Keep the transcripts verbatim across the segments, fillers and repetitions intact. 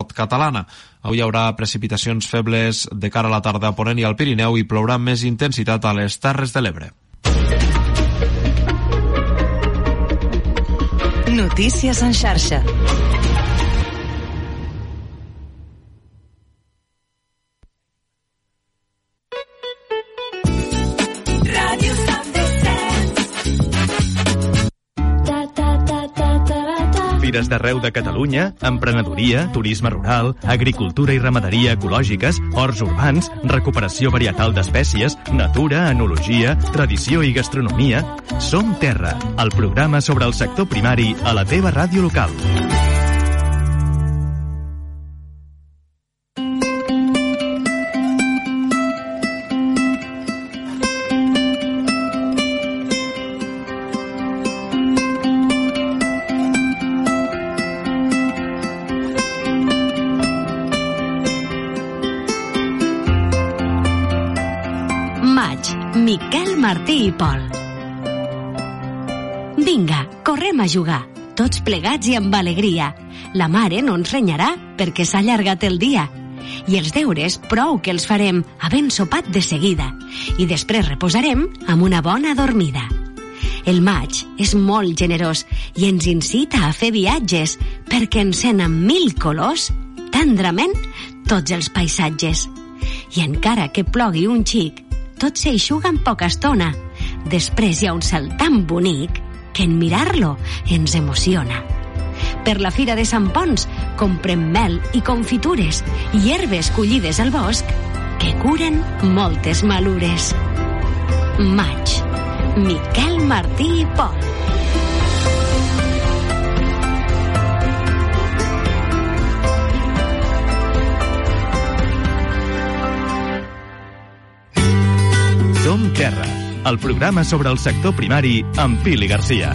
catalana. Avui hi haurà precipitacions febles de cara a la tarda a Ponent i al Pirineu i plourà amb més intensitat a les Terres de l'Ebre. Notícies en xarxa. Fires d'arreu de Catalunya, emprenedoria, turisme rural, agricultura i ramaderia ecològiques, horts urbans, recuperació varietal d'espècies, natura, enologia, tradició i gastronomia. Som Terra, el programa sobre el sector primari a la teva ràdio local. Miquel Martí i Pol. Vinga, correm a jugar, tots plegats i amb alegria. La mare no ens renyarà perquè s'ha allargat el dia. I els deures prou que els farem havent sopat de seguida i després reposarem amb una bona dormida. El maig és molt generós i ens incita a fer viatges perquè encén amb mil colors, tendrament, tots els paisatges. I encara que plogui un xic, tot s'eixuga en poca estona. Després hi ha un salt tan bonic que en mirar-lo ens emociona. Per la Fira de Sant Ponç comprem mel i confitures i herbes collides al bosc que curen moltes malures. Maig. Miquel Martí i Pol. Som Terra, el programa sobre el sector primari amb Pili Garcia.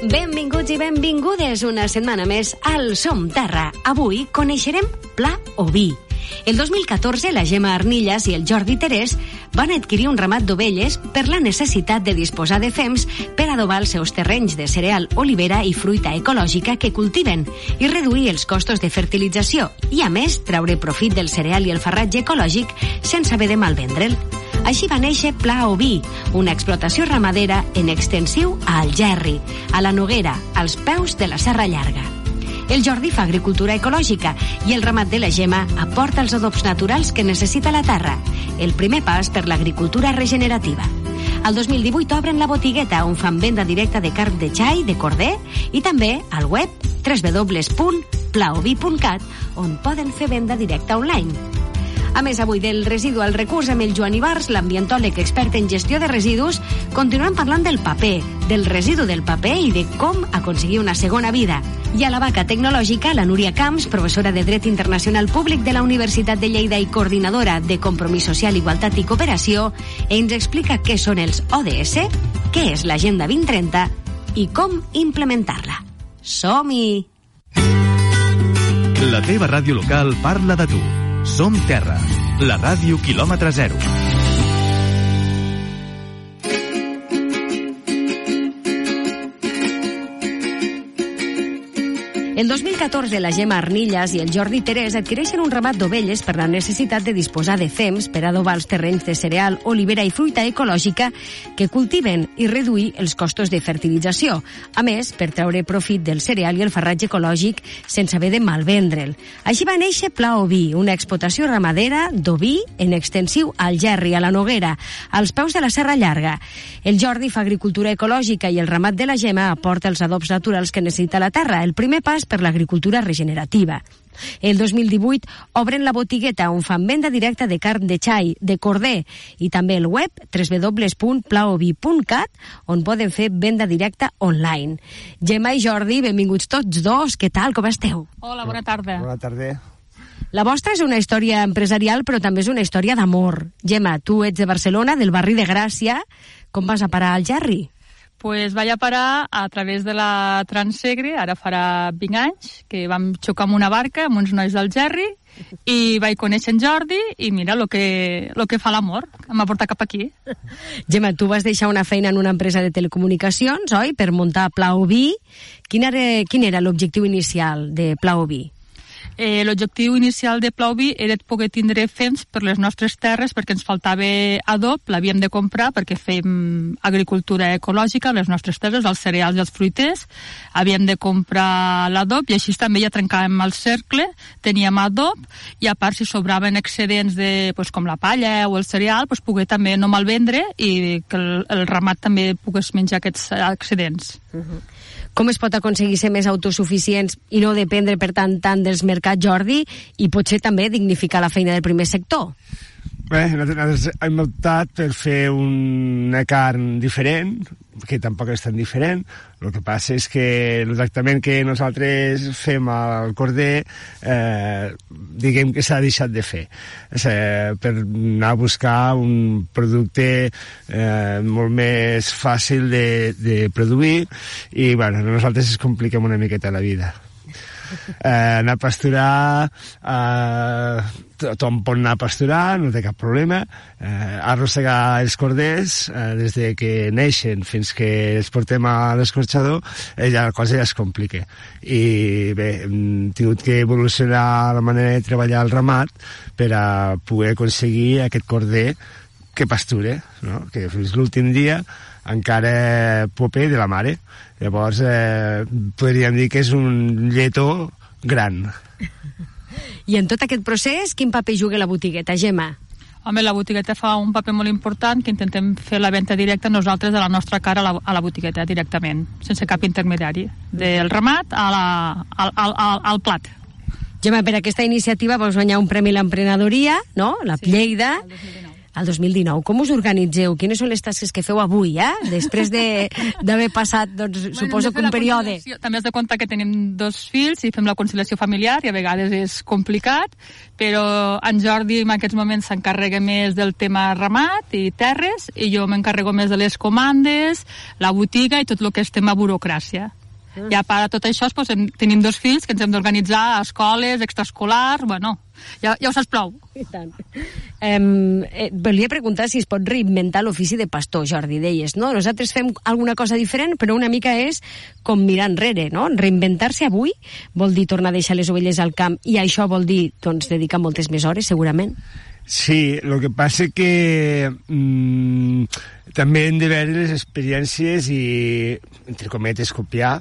Benvinguts i benvingudes una setmana més al Som Terra. Avui coneixerem pla oví. El dos mil catorze, la Gemma Arnillas i el Jordi Terès van adquirir un ramat d'ovelles per la necessitat de disposar de fems per adobar els seus terrenys de cereal, olivera i fruita ecològica que cultiven i reduir els costos de fertilització i, a més, treure profit del cereal i el farratge ecològic sense haver de malvendre'l. Així va néixer Pla Oví, una explotació ramadera en extensiu a Algerri, a la Noguera, als peus de la Serra Llarga. El Jordi fa agricultura ecològica i el ramat de la Gemma aporta els adobs naturals que necessita la terra, el primer pas per l'agricultura regenerativa. Al dos mil divuit obren la botigueta on fan venda directa de carn de xai, de corder i també al web w w w punt plaoví punt cat on poden fer venda directa online. A més, avui del residu al recurs amb el Joan Ibars, l'ambientòleg expert en gestió de residus, continuem parlant del paper, del residu del paper i de com aconseguir una segona vida. I a la vaca tecnològica, la Núria Camps, professora de Dret Internacional Públic de la Universitat de Lleida i coordinadora de Compromís Social, Igualtat i Cooperació, ens explica què són els O D S, què és l'Agenda vint trenta i com implementar-la. Som-hi! La teva ràdio local parla de tu. Som Terra, la ràdio quilòmetre zero. El dos mil catorze, la Gemma Arnillas i el Jordi Terès adquireixen un ramat d'ovelles per la necessitat de disposar de fems per adobar els terrenys de cereal, olivera i fruita ecològica que cultiven i reduir els costos de fertilització. A més, per treure profit del cereal i el farratge ecològic sense haver de malvendre'l. Així va néixer Pla Oví, una explotació ramadera d'oví en extensiu a Algerri, a la Noguera, als peus de la Serra Llarga. El Jordi fa agricultura ecològica i el ramat de la Gemma aporta els adobs naturals que necessita la terra, el primer pas per l'agricultura regenerativa. El dos mil divuit obren la botigueta on fan venda directa de carn de xai, de corder i també el web w w w punt plaoví punt cat on poden fer venda directa online. Gemma i Jordi, benvinguts tots dos. Què tal? Com esteu? Hola, bona tarda. Bona tarda. La vostra és una història empresarial, però també és una història d'amor. Gemma, tu ets de Barcelona, del barri de Gràcia. Com vas a parar al Algerri? Pues vaig a parar a través de la Transsegre, ara farà vint anys, que vam xocar amb una barca, amb uns nois del Gerri, i vaig conèixer en Jordi, i mira el que, lo que fa l'amor, em va portar cap aquí. Gemma, tu vas deixar una feina en una empresa de telecomunicacions, oi?, per muntar Pla Oví. Quin era, quin era l'objectiu inicial de Pla Oví? Eh, L'objectiu inicial de Pla Oví era poder tindre fems per les nostres terres perquè ens faltava adob, l'havíem de comprar perquè fem agricultura ecològica a les nostres terres, els cereals i els fruiters, havíem de comprar l'adob i així també ja trencàvem el cercle, teníem adob i a part si sobraven excedents de, pues, com la palla o el cereal, pues, poder també no malvendre i que el, el ramat també pogués menjar aquests excedents. Uh-huh. Com es pot aconseguir ser més autosuficients i no dependre, per tant, tant dels mercats, Jordi, i potser també dignificar la feina del primer sector? Bé, nosaltres hem optat per fer una carn diferent, que tampoc és tan diferent. El que passa és que el tractament que nosaltres fem al corder, eh, diguem que s'ha deixat de fer. És, eh, per anar a buscar un producte eh, molt més fàcil de, de produir i, bueno, nosaltres es compliquem una miqueta la vida. Eh, anar a pasturar, eh, tothom pot anar a pasturar, no té cap problema. Eh, arrossegar els corders eh, des de que neixen fins que els portem a l'escorxador, eh, ja la cosa ja es complica. I bé, hem tingut que evolucionar la manera de treballar el ramat per a poder aconseguir aquest corder que pasture, no? Que fins l'últim dia encara pope de la mare. Llavors, eh, podríem dir que és un lletó gran. I en tot aquest procés, quin paper juga la botigueta, Gemma? Home, la botigueta fa un paper molt important, que intentem fer la venda directa nosaltres de la nostra cara a la, a la botigueta directament, sense cap intermediari, del ramat a la, al, al, al, al plat. Gemma, per aquesta iniciativa vols guanyar un premi a l'emprenedoria, no? La Sí, Lleida. el dos mil dinou. Al dos mil dinou. Com us organitzeu? Quines són les tasques que feu avui, eh? Després d'haver de, passat, doncs, bueno, suposo que un període... També has de comptar que tenim dos fills i fem la conciliació familiar i a vegades és complicat, però en Jordi en aquests moments s'encarrega més del tema ramat i terres i jo m'encarrego més de les comandes, la botiga i tot el que és tema burocràcia. I a part de tot això, doncs, tenim dos fills que ens hem d'organitzar a escoles, extraescolars, bueno, ja, ja ho saps prou. I tant. Um, eh, volia preguntar si es pot reinventar l'ofici de pastor, Jordi, deies, no? Nosaltres fem alguna cosa diferent, però una mica és com mirar enrere, no? Reinventar-se avui vol dir tornar a deixar les ovelles al camp i això vol dir, doncs, dedicar moltes més hores, segurament. Sí, el que passa que mmm, també hem de veure les experiències i, entre cometes, copiar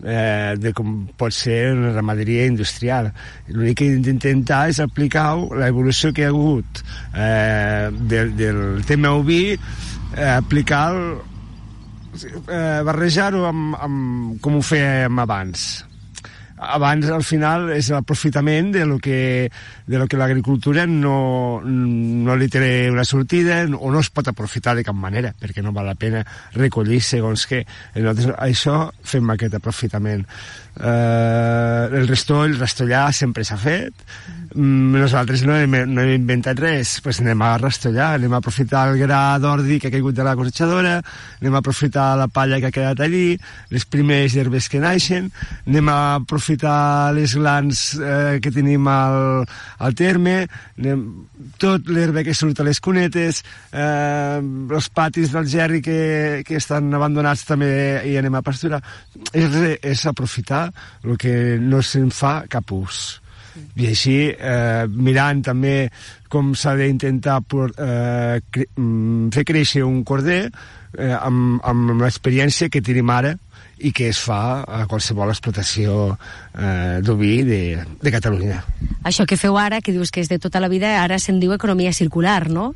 eh, de com pot ser una ramaderia industrial. L'únic que hem d'intentar és aplicar l'evolució que hi ha hagut eh, del, del tema oví, eh, aplicar eh, barrejar-ho amb, amb com ho fèiem abans. Abans, al final, és l'aprofitament de lo que, de lo que l'agricultura no, no li té una sortida o no es pot aprofitar de cap manera, perquè no val la pena recollir segons què. Nosaltres això fem aquest aprofitament. Eh, el restoll, el rastollar sempre s'ha fet. Nosaltres no hem, no hem inventat res, pues anem a rastollar, anem a aprofitar el gra d'ordi que ha caigut de la cosechadora, anem a aprofitar la palla que ha quedat allí, les primeres herbes que naixen, anem a aprofitar les glans eh, que tenim al, al terme, anem, tot l'herba que surt a les cunetes, eh, els patis del gerri que, que estan abandonats també i anem a pasturar. És, és aprofitar el que no se'n fa cap ús. I així, eh, mirant també com s'ha d'intentar eh, cre fer créixer un corder eh, amb, amb l'experiència que tenim ara i que es fa a qualsevol explotació eh, d'oví de, de Catalunya. Això que feu ara, que dius que és de tota la vida, ara se'n diu economia circular, no?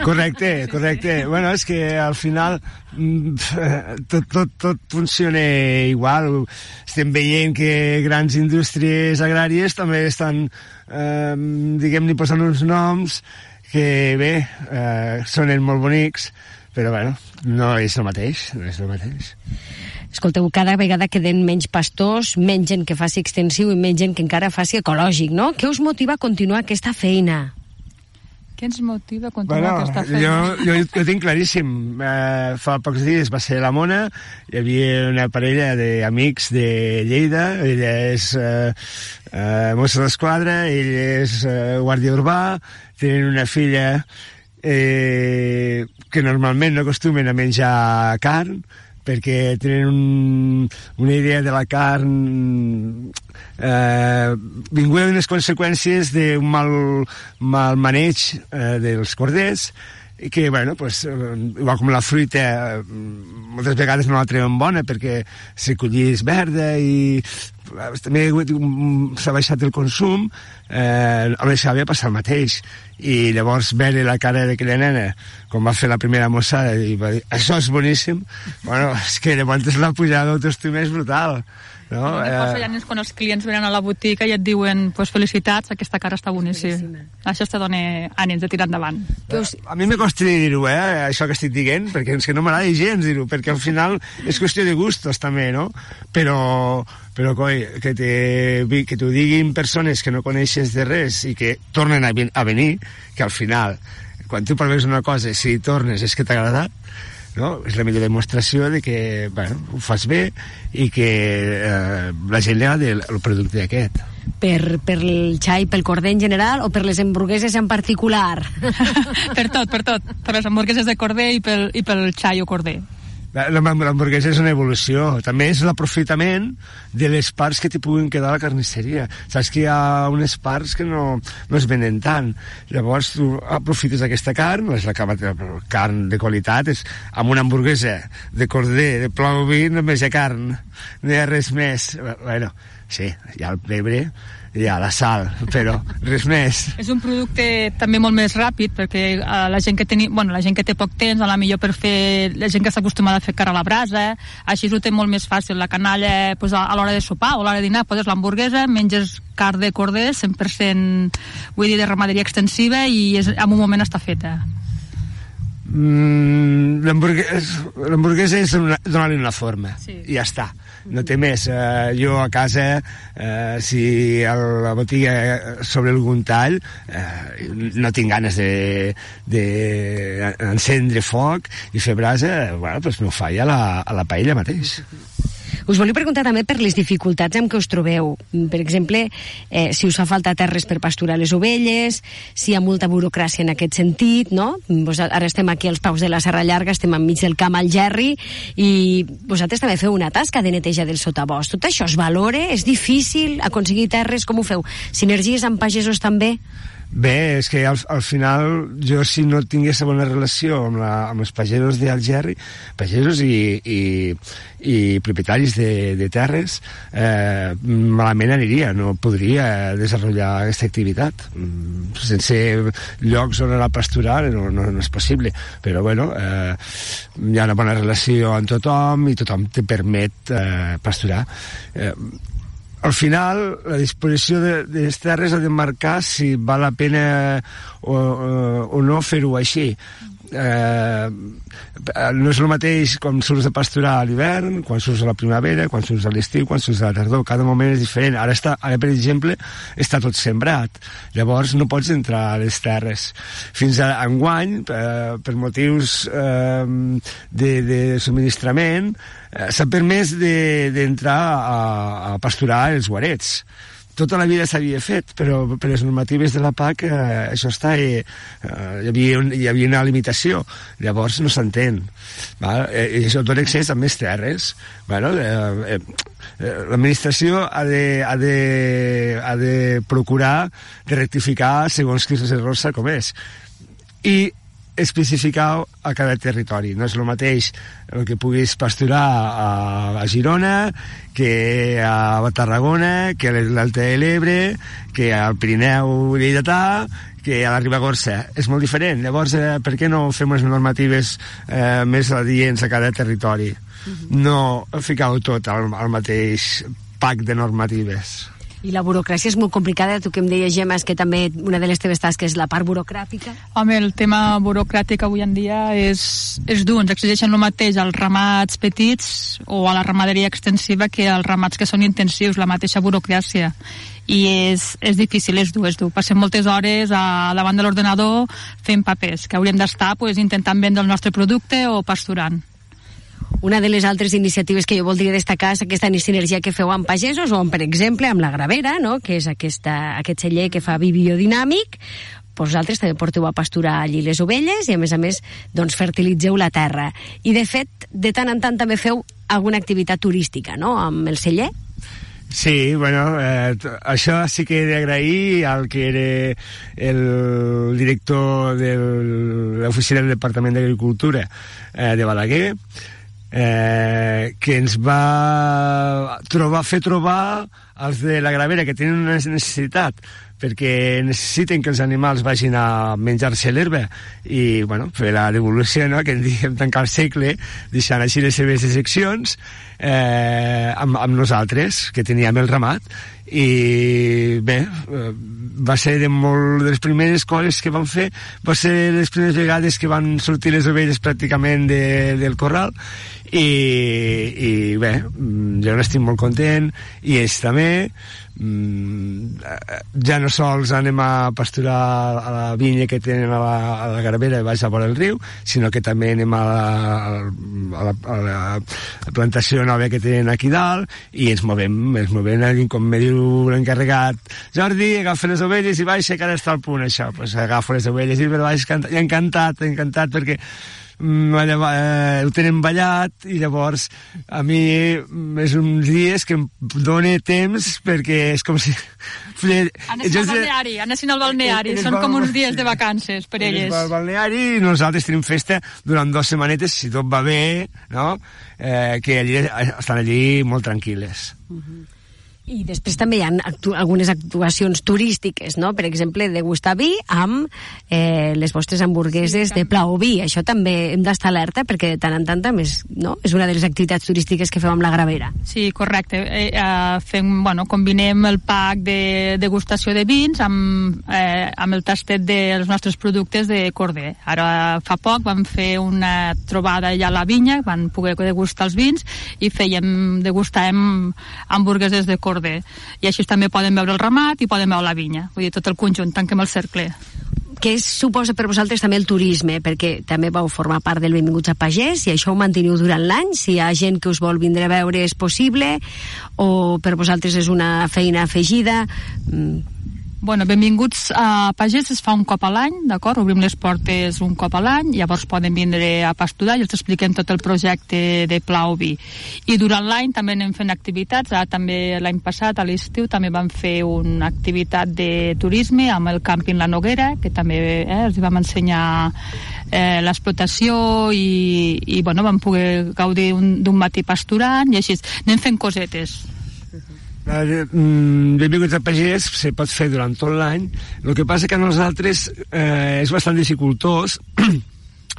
Correcte, correcte. Bueno, és que al final tot, tot, tot funciona igual. Estem veient que grans indústries agràries també estan, eh, diguem-ne, posant uns noms que, bé, eh, sonen molt bonics, però, bueno, no és el mateix, no és el mateix. Escolteu, cada vegada queden menys pastors, menys gent que faci extensiu i menys gent que encara faci ecològic, no? Què us motiva a continuar aquesta feina? Què ens motiva a continuar bueno, aquesta feina? Jo, jo, jo tinc claríssim. Eh, fa pocs dies va ser la Mona, hi havia una parella d'amics de Lleida, ella és eh, eh, mossa d'esquadra, ell és eh, guàrdia urbà, tenen una filla eh, que normalment no acostumen a menjar carn, perquè tenen un, una idea de la carn eh, vinguda d'unes conseqüències d'un mal, mal maneig eh, dels corders, i que, bueno, pues, igual com la fruita, moltes vegades no la treuen bona perquè si collís verda i també s'ha baixat el consum, eh, a les havia passat el mateix. I llavors veure la cara d'aquella nena, com va fer la primera mossada, i va dir, això és boníssim, bueno, és que llavors la pujada d'autoestima és brutal. No? No, eh... ja és quan els clients venen a la botiga i et diuen pues, felicitats, aquesta cara està boníssima. Això te dona ànims de tirar endavant. A mi me costa dir-ho, eh, això que estic dient, perquè és que no m'agrada gens dir-ho, perquè al final és qüestió de gustos també, no? Però, però coi, que, te, que t'ho diguin persones que no coneixes de res i que tornen a, a venir, que al final, quan tu proves una cosa, si tornes és que t'ha agradat, no? És la millor demostració de que, bueno, ho fas bé i que eh, la gent li agrada el, el producte aquest. Per, per el xai, pel corder en general o per les hamburgueses en particular? Per tot, per tot. Per les hamburgueses de corder i pel, i pel xai o corder. L'hamburguesa és una evolució. També és l'aprofitament de les parts que t'hi puguin quedar a la carnisseria. Saps que hi ha unes parts que no, no es venen tant. Llavors tu aprofites aquesta carn, és la carn de qualitat, és amb una hamburguesa de corder, de plou vi, només hi ha carn, no hi ha res més. Bueno, sí, hi ha el pebre, hi ha la sal, però res més. És un producte també molt més ràpid, perquè uh, la gent que teni, bueno, la gent que té poc temps, a la millor per fer, la gent que està acostumada a fer carn a la brasa, eh? Així ho té molt més fàcil. La canalla, pues, a, a l'hora de sopar o a l'hora de dinar, poses l'hamburguesa, menges carn de corder, cent per cent, vull dir, de ramaderia extensiva, i és, en un moment està feta. Mm, l'hamburguesa és donar-li una forma, sí. I ja està, no té més. Uh, jo a casa, uh, si a la botiga sobre algun tall, uh, no tinc ganes de, de encendre foc i fer brasa, bueno, doncs m'ho faig a la, a la paella mateix. Us volia preguntar també per les dificultats amb què us trobeu. Per exemple, eh, si us fa falta terres per pasturar les ovelles, si hi ha molta burocràcia en aquest sentit, no? Vos, ara estem aquí als peus de la Serra Llarga, estem enmig del camp al Gerri, i vosaltres també feu una tasca de neteja del sotabosc. Tot això es valora? És difícil aconseguir terres? Com ho feu? Sinergies amb pagesos també? Bé, és que al, al final jo, si no tingués bona relació amb, la, amb els pagesos d'Algerri, pagesos i, i, i propietaris de, de terres, eh, malament aniria, no podria desenvolupar aquesta activitat. Sense llocs on anar a pasturar no, no, no és possible, però bueno, eh, hi ha una bona relació amb tothom i tothom te permet eh, pasturar. Eh, Al final, la disposició de, de les terres ha de marcar si val la pena o, o no fer-ho així. Eh, no és el mateix quan surts a pasturar a l'hivern, quan surts a la primavera, quan surts a l'estiu, quan surts a la tardor. Cada moment és diferent. Ara, està, ara per exemple, està tot sembrat. Llavors no pots entrar a les terres. Fins a enguany, eh, per motius eh, de, de subministrament, eh, s'ha permès d'entrar de, a, a pasturar els guarets. Tota la vida s'havia fet, però per les normatives de la P A C eh, això està, eh, hi, havia un, hi havia una limitació, llavors no s'entén. Eh, I això dona accés a més terres. Bueno, eh, eh, l'administració ha de, ha, de, ha de procurar de rectificar segons quins errors s'ha comès. I especificar a cada territori. No és el mateix el que puguis pasturar a, a Girona, que a Tarragona, que a l'Alta de l'Ebre, que al Pirineu lleidatà, que a la Ribagorça. És molt diferent. Llavors, eh, per què no fem unes normatives eh, més adients a cada territori? No ficar-ho tot al, al mateix pack de normatives. I la burocràcia és molt complicada. Tu que em deies, Gemma, és que també una de les teves tasques és la part burocràtica. Home, el tema burocràtic avui en dia és, és dur. Ens exigeixen el mateix als ramats petits o a la ramaderia extensiva que als ramats que són intensius, la mateixa burocràcia. I és, és difícil, és dur, és dur. Passem moltes hores a, davant de l'ordenador fent papers, que hauríem d'estar pues, intentant vendre el nostre producte o pasturant. Una de les altres iniciatives que jo voldria destacar és aquesta sinergia que feu amb pagesos o, amb, per exemple, amb la Gravera, no? Que és aquesta, aquest celler que fa vi biodinàmic. Vosaltres també porteu a pasturar allí les ovelles i, a més a més, doncs, fertilitzeu la terra. I, de fet, de tant en tant també feu alguna activitat turística, no?, amb el celler. Sí, bueno, eh, això sí que he d'agrair al que era el director de l'oficina del Departament d'Agricultura eh, de Balaguer, eh, que ens va trobar, fer trobar els de la Gravera que tenen una necessitat, perquè necessiten que els animals vagin a menjar-se l'herba i, bueno, fer la devolució, no?, que en diem tancar el segle, deixant així les seves seccions eh, amb, amb nosaltres, que teníem el ramat. I bé, va ser de molt de les primeres coses que vam fer, va ser les primeres vegades que van sortir les ovelles pràcticament de, del corral i, i bé, jo n'estic molt content i ells també. Ja no sols anem a pasturar a la vinya que tenen a la, a la Gravera baix a vora el riu, sinó que també anem a la, a la, a la plantació nova que tenen aquí dalt i ens movem, ens movem, com me diu l'encarregat, Jordi, agafa les ovelles i baixa, que ara està al punt això, pues agafo les ovelles i baix, i encantat, encantat perquè eh, ho tenen ballat i llavors a mi és uns dies que em dóna temps perquè és com si... Anessin al balneari, anessin al balneari, són com uns dies de vacances per elles. Al balneari i nosaltres tenim festa durant dues setmanetes, si tot va bé, no? Eh, que allí, estan allí molt tranquil·les. Uh-huh. I després també hi ha actu algunes actuacions turístiques, no? Per exemple, degustar vi amb eh, les vostres hamburgueses sí, de Pla o Vi. Això també hem d'estar alerta perquè de tant en tant també és, no? És una de les activitats turístiques que fem amb la Gravera. Sí, correcte. Eh, eh, fem, bueno, combinem el pack de degustació de vins amb, eh, amb el tastet dels nostres productes de corder. Ara fa poc vam fer una trobada allà a la vinya, van poder degustar els vins i fèiem, degustàvem hamburgueses de corder. I així també poden veure el ramat i poden veure la vinya, vull dir, tot el conjunt, tanquem el cercle. Què suposa per vosaltres també el turisme? Perquè també vau formar part del Benvinguts a Pagès i això ho manteniu durant l'any, si hi ha gent que us vol vindre a veure és possible o per vosaltres és una feina afegida? Mm. Bueno, Benvinguts a Pagès es fa un cop a l'any, d'acord? Obrim les portes un cop a l'any, llavors poden vindre a pasturar i els expliquem tot el projecte de Pla o Vi. I durant l'any també anem fent activitats, ara també l'any passat, a l'estiu, també vam fer una activitat de turisme amb el càmping La Noguera, que també eh, els vam ensenyar eh, l'explotació i, i bueno, vam poder gaudir d'un matí pasturant i així. Anem fent cosetes. Benvinguts a Pagès se pot fer durant tot l'any. El que passa que a nosaltres eh, és bastant dificultós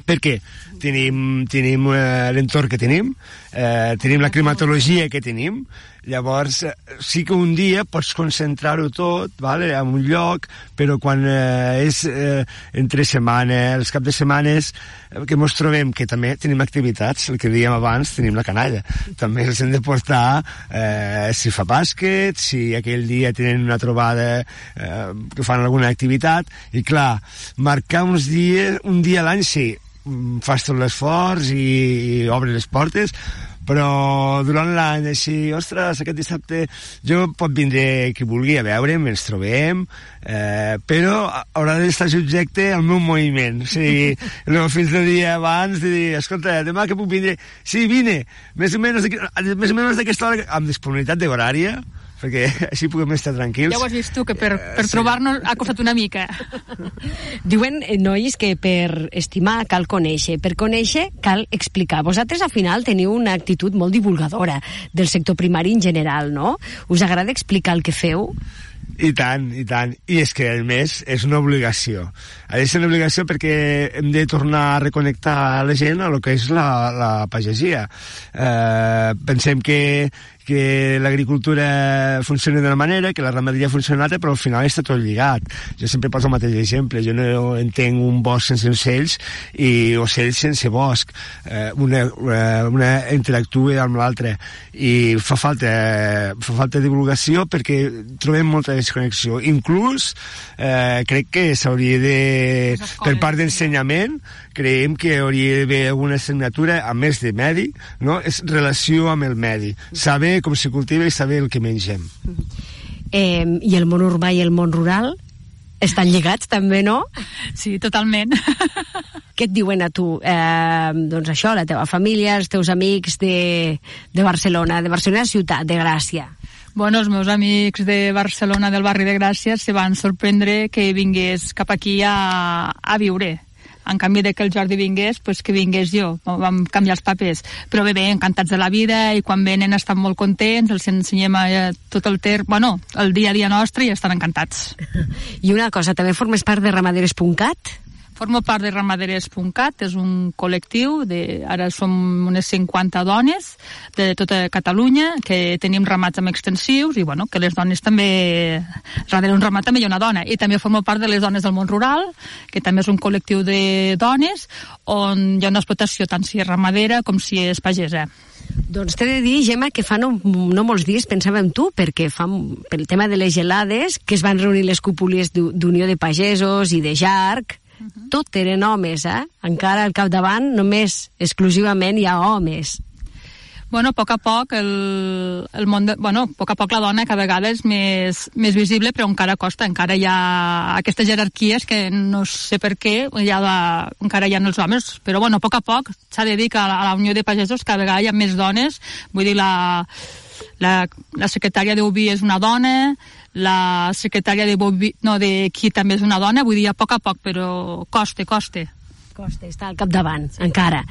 perquè tenim, tenim eh, l'entorn que tenim, eh, tenim la climatologia que tenim, llavors eh, sí que un dia pots concentrar-ho tot, vale, en un lloc, però quan eh, és eh, entre setmana, els caps de setmanes eh, que ens trobem, que també tenim activitats, el que dèiem abans, tenim la canalla, també els hem de portar eh, si fa bàsquet, si aquell dia tenen una trobada eh, que fan alguna activitat, i clar, marcar uns dies, un dia a l'any sí, fas tot l'esforç i, i obres les portes, però durant l'any així, ostres, aquest dissabte jo pot vindre qui vulgui a veure'm, ens trobem, eh, però haurà d'estar subjecte al meu moviment, o sigui, no, fins el dia abans de dir, escolta, demà que puc vindre, sí, vine, més o menys, més o menys d'aquesta hora, amb disponibilitat d'horària, perquè així puguem estar tranquils. Ja ho has vist tu, que per, per sí. Trobar-nos ha costat una mica. Diuen, nois, que per estimar cal conèixer, per conèixer cal explicar. Vosaltres, al final, teniu una actitud molt divulgadora del sector primari en general, no? Us agrada explicar el que feu? I tant, i tant. I és que, a més, és una obligació. Ha de ser una obligació perquè hem de tornar a reconnectar la gent a lo que és la, la pagesia. Eh, pensem que que l'agricultura funciona d'una manera, que la ramaderia funciona d'altra, però al final està tot lligat. Jo sempre poso el mateix exemple. Jo no entenc un bosc sense ocells i ocells sense bosc. Eh, una, una interactua amb l'altra. I fa falta, fa falta divulgació perquè trobem molta desconnexió. Inclús eh, crec que s'hauria de, per part d'ensenyament, creiem que hauria d'haver alguna assignatura, a més de medi, no? És relació amb el medi. Saber com se cultiva i saber el que mengem. Eh, I el món urbà i el món rural estan lligats també, no? Sí, totalment. Què et diuen a tu? Eh, doncs això, la teva família, els teus amics de, de Barcelona, de Barcelona ciutat, de Gràcia. Bueno, els meus amics de Barcelona, del barri de Gràcia, se van sorprendre que vingués cap aquí a, a viure. En canvi de que el Jordi vingués, pues que vingués jo. Vam canviar els papers. Però bé, bé, encantats de la vida, i quan venen estan molt contents, els ensenyem eh, tot el ter... Bueno, el dia a dia nostre, i estan encantats. I una cosa, també formes part de Ramaderes punt cat? Formo part de Ramaderes punt cat, és un col·lectiu, de, ara som unes cinquanta dones de tota Catalunya, que tenim ramats amb extensius, i bueno, que les dones també, darrere un ramat també hi ha una dona, i també formo part de les dones del món rural, que també és un col·lectiu de dones, on hi ha una explotació tant si és ramadera com si és pagesa. Doncs t'he de dir, Gemma, que fa no, no molts dies pensava en tu, perquè fa, pel tema de les gelades, que es van reunir les cúpules d'Unió de Pagesos i de Jarc, Uh-huh. Tot eren homes, eh? Encara al capdavant només, exclusivament, hi ha homes. Bueno, a poc a poc el, el món de, bueno, a poc a poc la dona cada vegada és més, més visible, però encara costa, encara hi ha aquestes jerarquies que no sé per què hi ha la, encara hi ha els homes, però bueno, a poc a poc s'ha de dir que a la, a la Unió de Pagesos cada vegada hi ha més dones, vull dir, la, la, la secretària d'Oví és una dona, la secretària de Boví, no, de qui també és una dona, vull dir, a poc a poc, però costa, costa. Costa, està al capdavant, sí. Encara.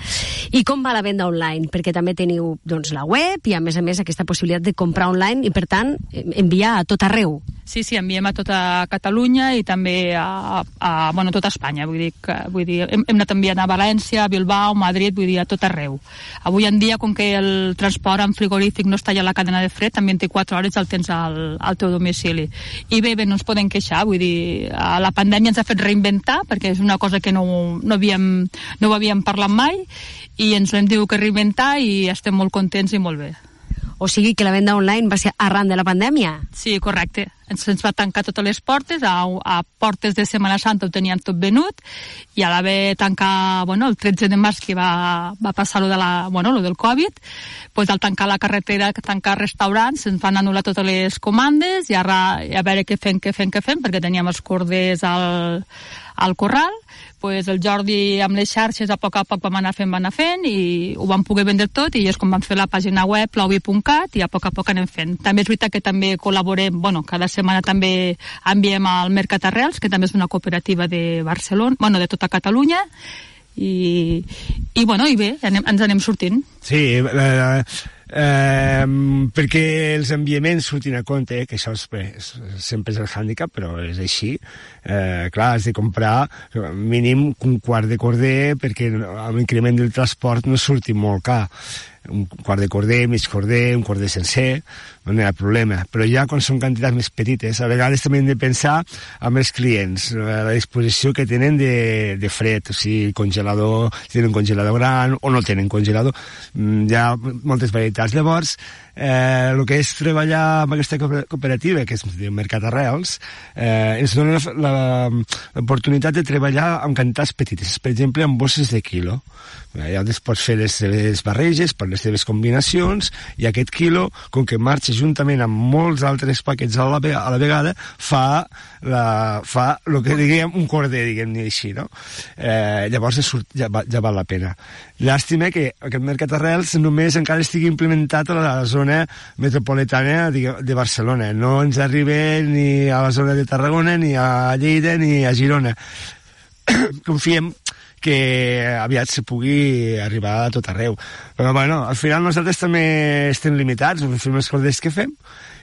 I com va la venda online? Perquè també teniu doncs, la web i, a més a més, aquesta possibilitat de comprar online i, per tant, enviar a tot arreu. Sí, sí, enviem a tota Catalunya i també a, a, bueno, a tota Espanya. Vull dir, que, vull dir hem, hem anat enviant a València, a Bilbao, Madrid, vull dir, a tot arreu. Avui en dia, com que el transport en frigorífic no està allà a la cadena de fred, també en vint-i-quatre hores el tens al, al teu domicili. I bé, bé, no ens podem queixar, vull dir, la pandèmia ens ha fet reinventar, perquè és una cosa que no, no havíem no ho havíem parlat mai i ens l'hem tingut que reinventar i estem molt contents i molt bé. O sigui que la venda online va ser arran de la pandèmia? Sí, correcte. Ens, ens va tancar totes les portes, a, a portes de Setmana Santa ho teníem tot venut, i a l'haver tancar, bueno, el tretze de març que va, va passar lo, de la, bueno, lo del Covid, pues al tancar la carretera, tancar restaurants, ens van anul·lar totes les comandes i ara a veure què fem, què fem, què fem, perquè teníem els corders al, al corral, pues el Jordi amb les xarxes a poc a poc vam anar fent, vam anar fent i ho vam poder vendre tot i és com vam fer la pàgina web plauvi punt cat i a poc a poc anem fent. També és veritat que també col·laborem, bueno, cada setmana també enviem al Mercat Arrels, que també és una cooperativa de Barcelona, bueno, de tota Catalunya, i, i bueno, i bé, anem, ens anem sortint. Sí, eh, eh, perquè els enviaments surtin a compte, que això és, bé, és, sempre és el hàndicap, però és així. Eh, clar, has de comprar mínim un quart de corder perquè amb l'increment del transport no surti molt car. Un quart de corder, mig corder, un corder sencer, no hi ha problema. Però ja quan són quantitats més petites, a vegades també hem de pensar amb els clients, la disposició que tenen de, de fred, o sigui, congelador, si tenen un congelador gran o no tenen congelador, hi ha moltes varietats. Llavors, eh, el que és treballar amb aquesta cooperativa, que és el Mercat Arrels, eh, ens dona l'oportunitat de treballar amb quantitats petites, per exemple, amb bosses de quilo. Ja pots fer les teves barreges per les teves combinacions i aquest quilo, com que marxa juntament amb molts altres paquets a la, a la vegada, fa, la, fa el que diguem un corder, diguem-ne així, no? Eh, llavors ja, ja val la pena. Llàstima que aquest Mercat Arrels només encara estigui implementat a la zona metropolitana de Barcelona. No ens arriba ni a la zona de Tarragona, ni a Lleida, ni a Girona. Confiem que aviat se pugui arribar a tot arreu. Però, bueno, al final nosaltres també estem limitats, fem els corders que fem,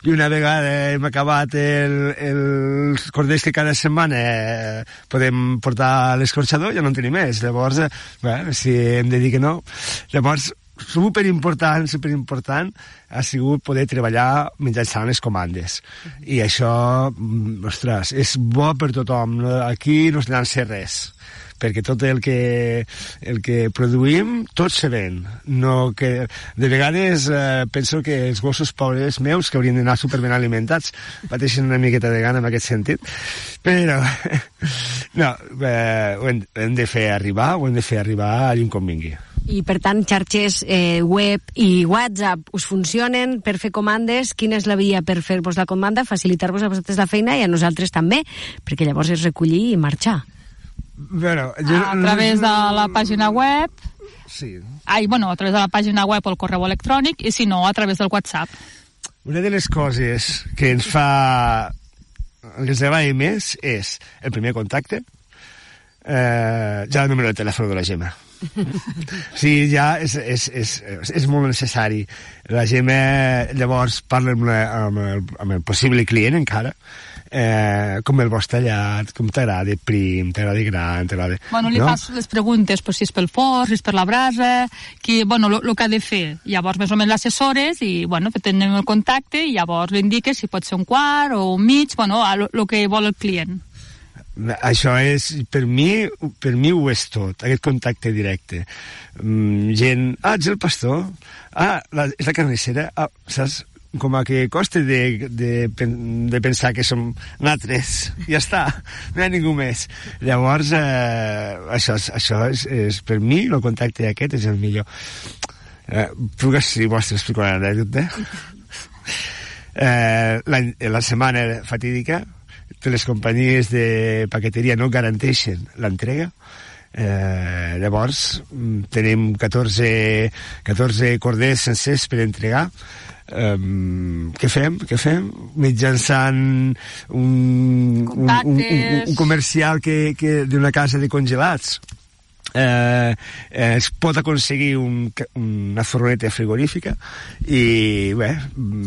i una vegada hem acabat el, els corders que cada setmana eh, podem portar a l'escorxador, ja no en tenim més. Llavors, eh, bueno, si hem de dir que no, llavors superimportant, superimportant ha sigut poder treballar mitjançant les comandes. I això, ostres, és bo per tothom. Aquí no es llança res, perquè tot el que, el que produïm, tot se ven. No que, de vegades eh, penso que els gossos pobres meus, que haurien d'anar superben alimentats, pateixen una miqueta de gana en aquest sentit, però no, eh, ho, hem, hem de fer arribar, ho hem de fer arribar allà on convingui. I, per tant, xarxes eh, web i WhatsApp us funcionen per fer comandes? Quina és la via per fer-vos la comanda, facilitar-vos a vosaltres la feina i a nosaltres també, perquè llavors és recollir i marxar? Bueno, jo... A través de la pàgina web... Sí. Ai, bueno, a través de la pàgina web o el correu electrònic, i si no, a través del WhatsApp. Una de les coses que ens fa... que ens agrada més és el primer contacte, eh, ja el número de telèfon de la Gemma. Sí, ja és, és, és, és molt necessari. La Gemma llavors parla amb, la, amb, el, amb el possible client encara, eh, com el vols tallat, com t'agrada prim, t'agrada gran, t'agrada... Bueno, li no? fas les preguntes, pues, si és pel forn, si és per la brasa, que, bueno, el que ha de fer. Llavors, més o menys l'assessores i, bueno, tenim el contacte i llavors li indiques si pot ser un quart o un mig, bueno, el que vol el client. Això és, per mi, per mi ho és tot, aquest contacte directe. Mm, gent, ah, ets el pastor? Ah, la, és la carnissera? Ah, saps? Com a que costa de, de, de pensar que som nosaltres. Ja està, no hi ha ningú més. Llavors, eh, això, això és, és, per mi, el contacte aquest és el millor. Eh, puc, si vols, t'explico una anècdota. Eh, la, la setmana fatídica, les companyies de paqueteria no garanteixen l'entrega. Eh, llavors tenim catorze, catorze corders sencers per entregar. Um, què fem? Què fem? Mitjançant un, un, un, un, un comercial que, que d'una casa de congelats eh, eh, es pot aconseguir un, una furgoneta frigorífica i bé,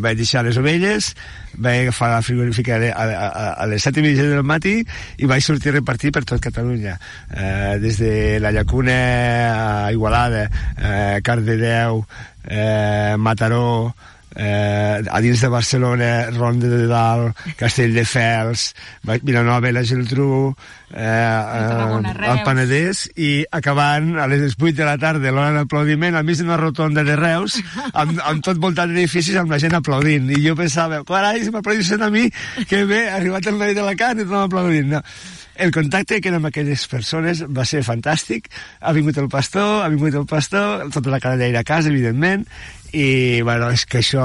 vaig deixar les ovelles, vaig agafar la frigorífica a, a, a les set i mitja del matí i vaig sortir a repartir per tot Catalunya, eh, des de la Llacuna a Igualada, eh, Cardedeu, eh, Mataró, Eh, a dins de Barcelona, Ronda de Dalt, Castelldefels, Vilanova i la Geltrú, eh, eh, el Penedès, i acabant a les vuit de la tarda, l'hora d'aplaudiment, al mig d'una rotonda de Reus, amb, amb tot voltant d'edificis, amb la gent aplaudint. I jo pensava, carai, si m'aplaudissin a mi, que bé, ha arribat el noi de la carn i tothom aplaudint. No. El contacte que amb aquelles persones va ser fantàstic. Ha vingut el pastor, ha vingut el pastor, tota la canalla a casa, evidentment, i bueno, és que això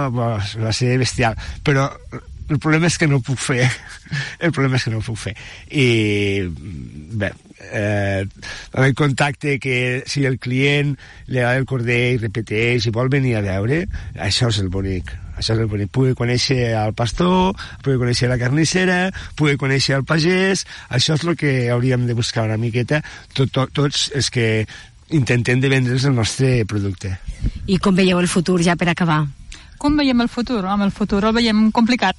bueno, va ser bestial. Però el problema és que no ho puc fer. El problema és que no ho puc fer. I bé, eh, amb el contacte que si el client li agrada el corder i repeteix i vol venir a veure, això és el bonic. Això és el bonic. Pugui conèixer el pastor, pugui conèixer la carnissera, pugui conèixer el pagès. Això és el que hauríem de buscar una miqueta tot, tot, tots els que intentem de vendre's el nostre producte. I com veieu el futur, ja per acabar? Com veiem el futur? Home, el futur el veiem complicat.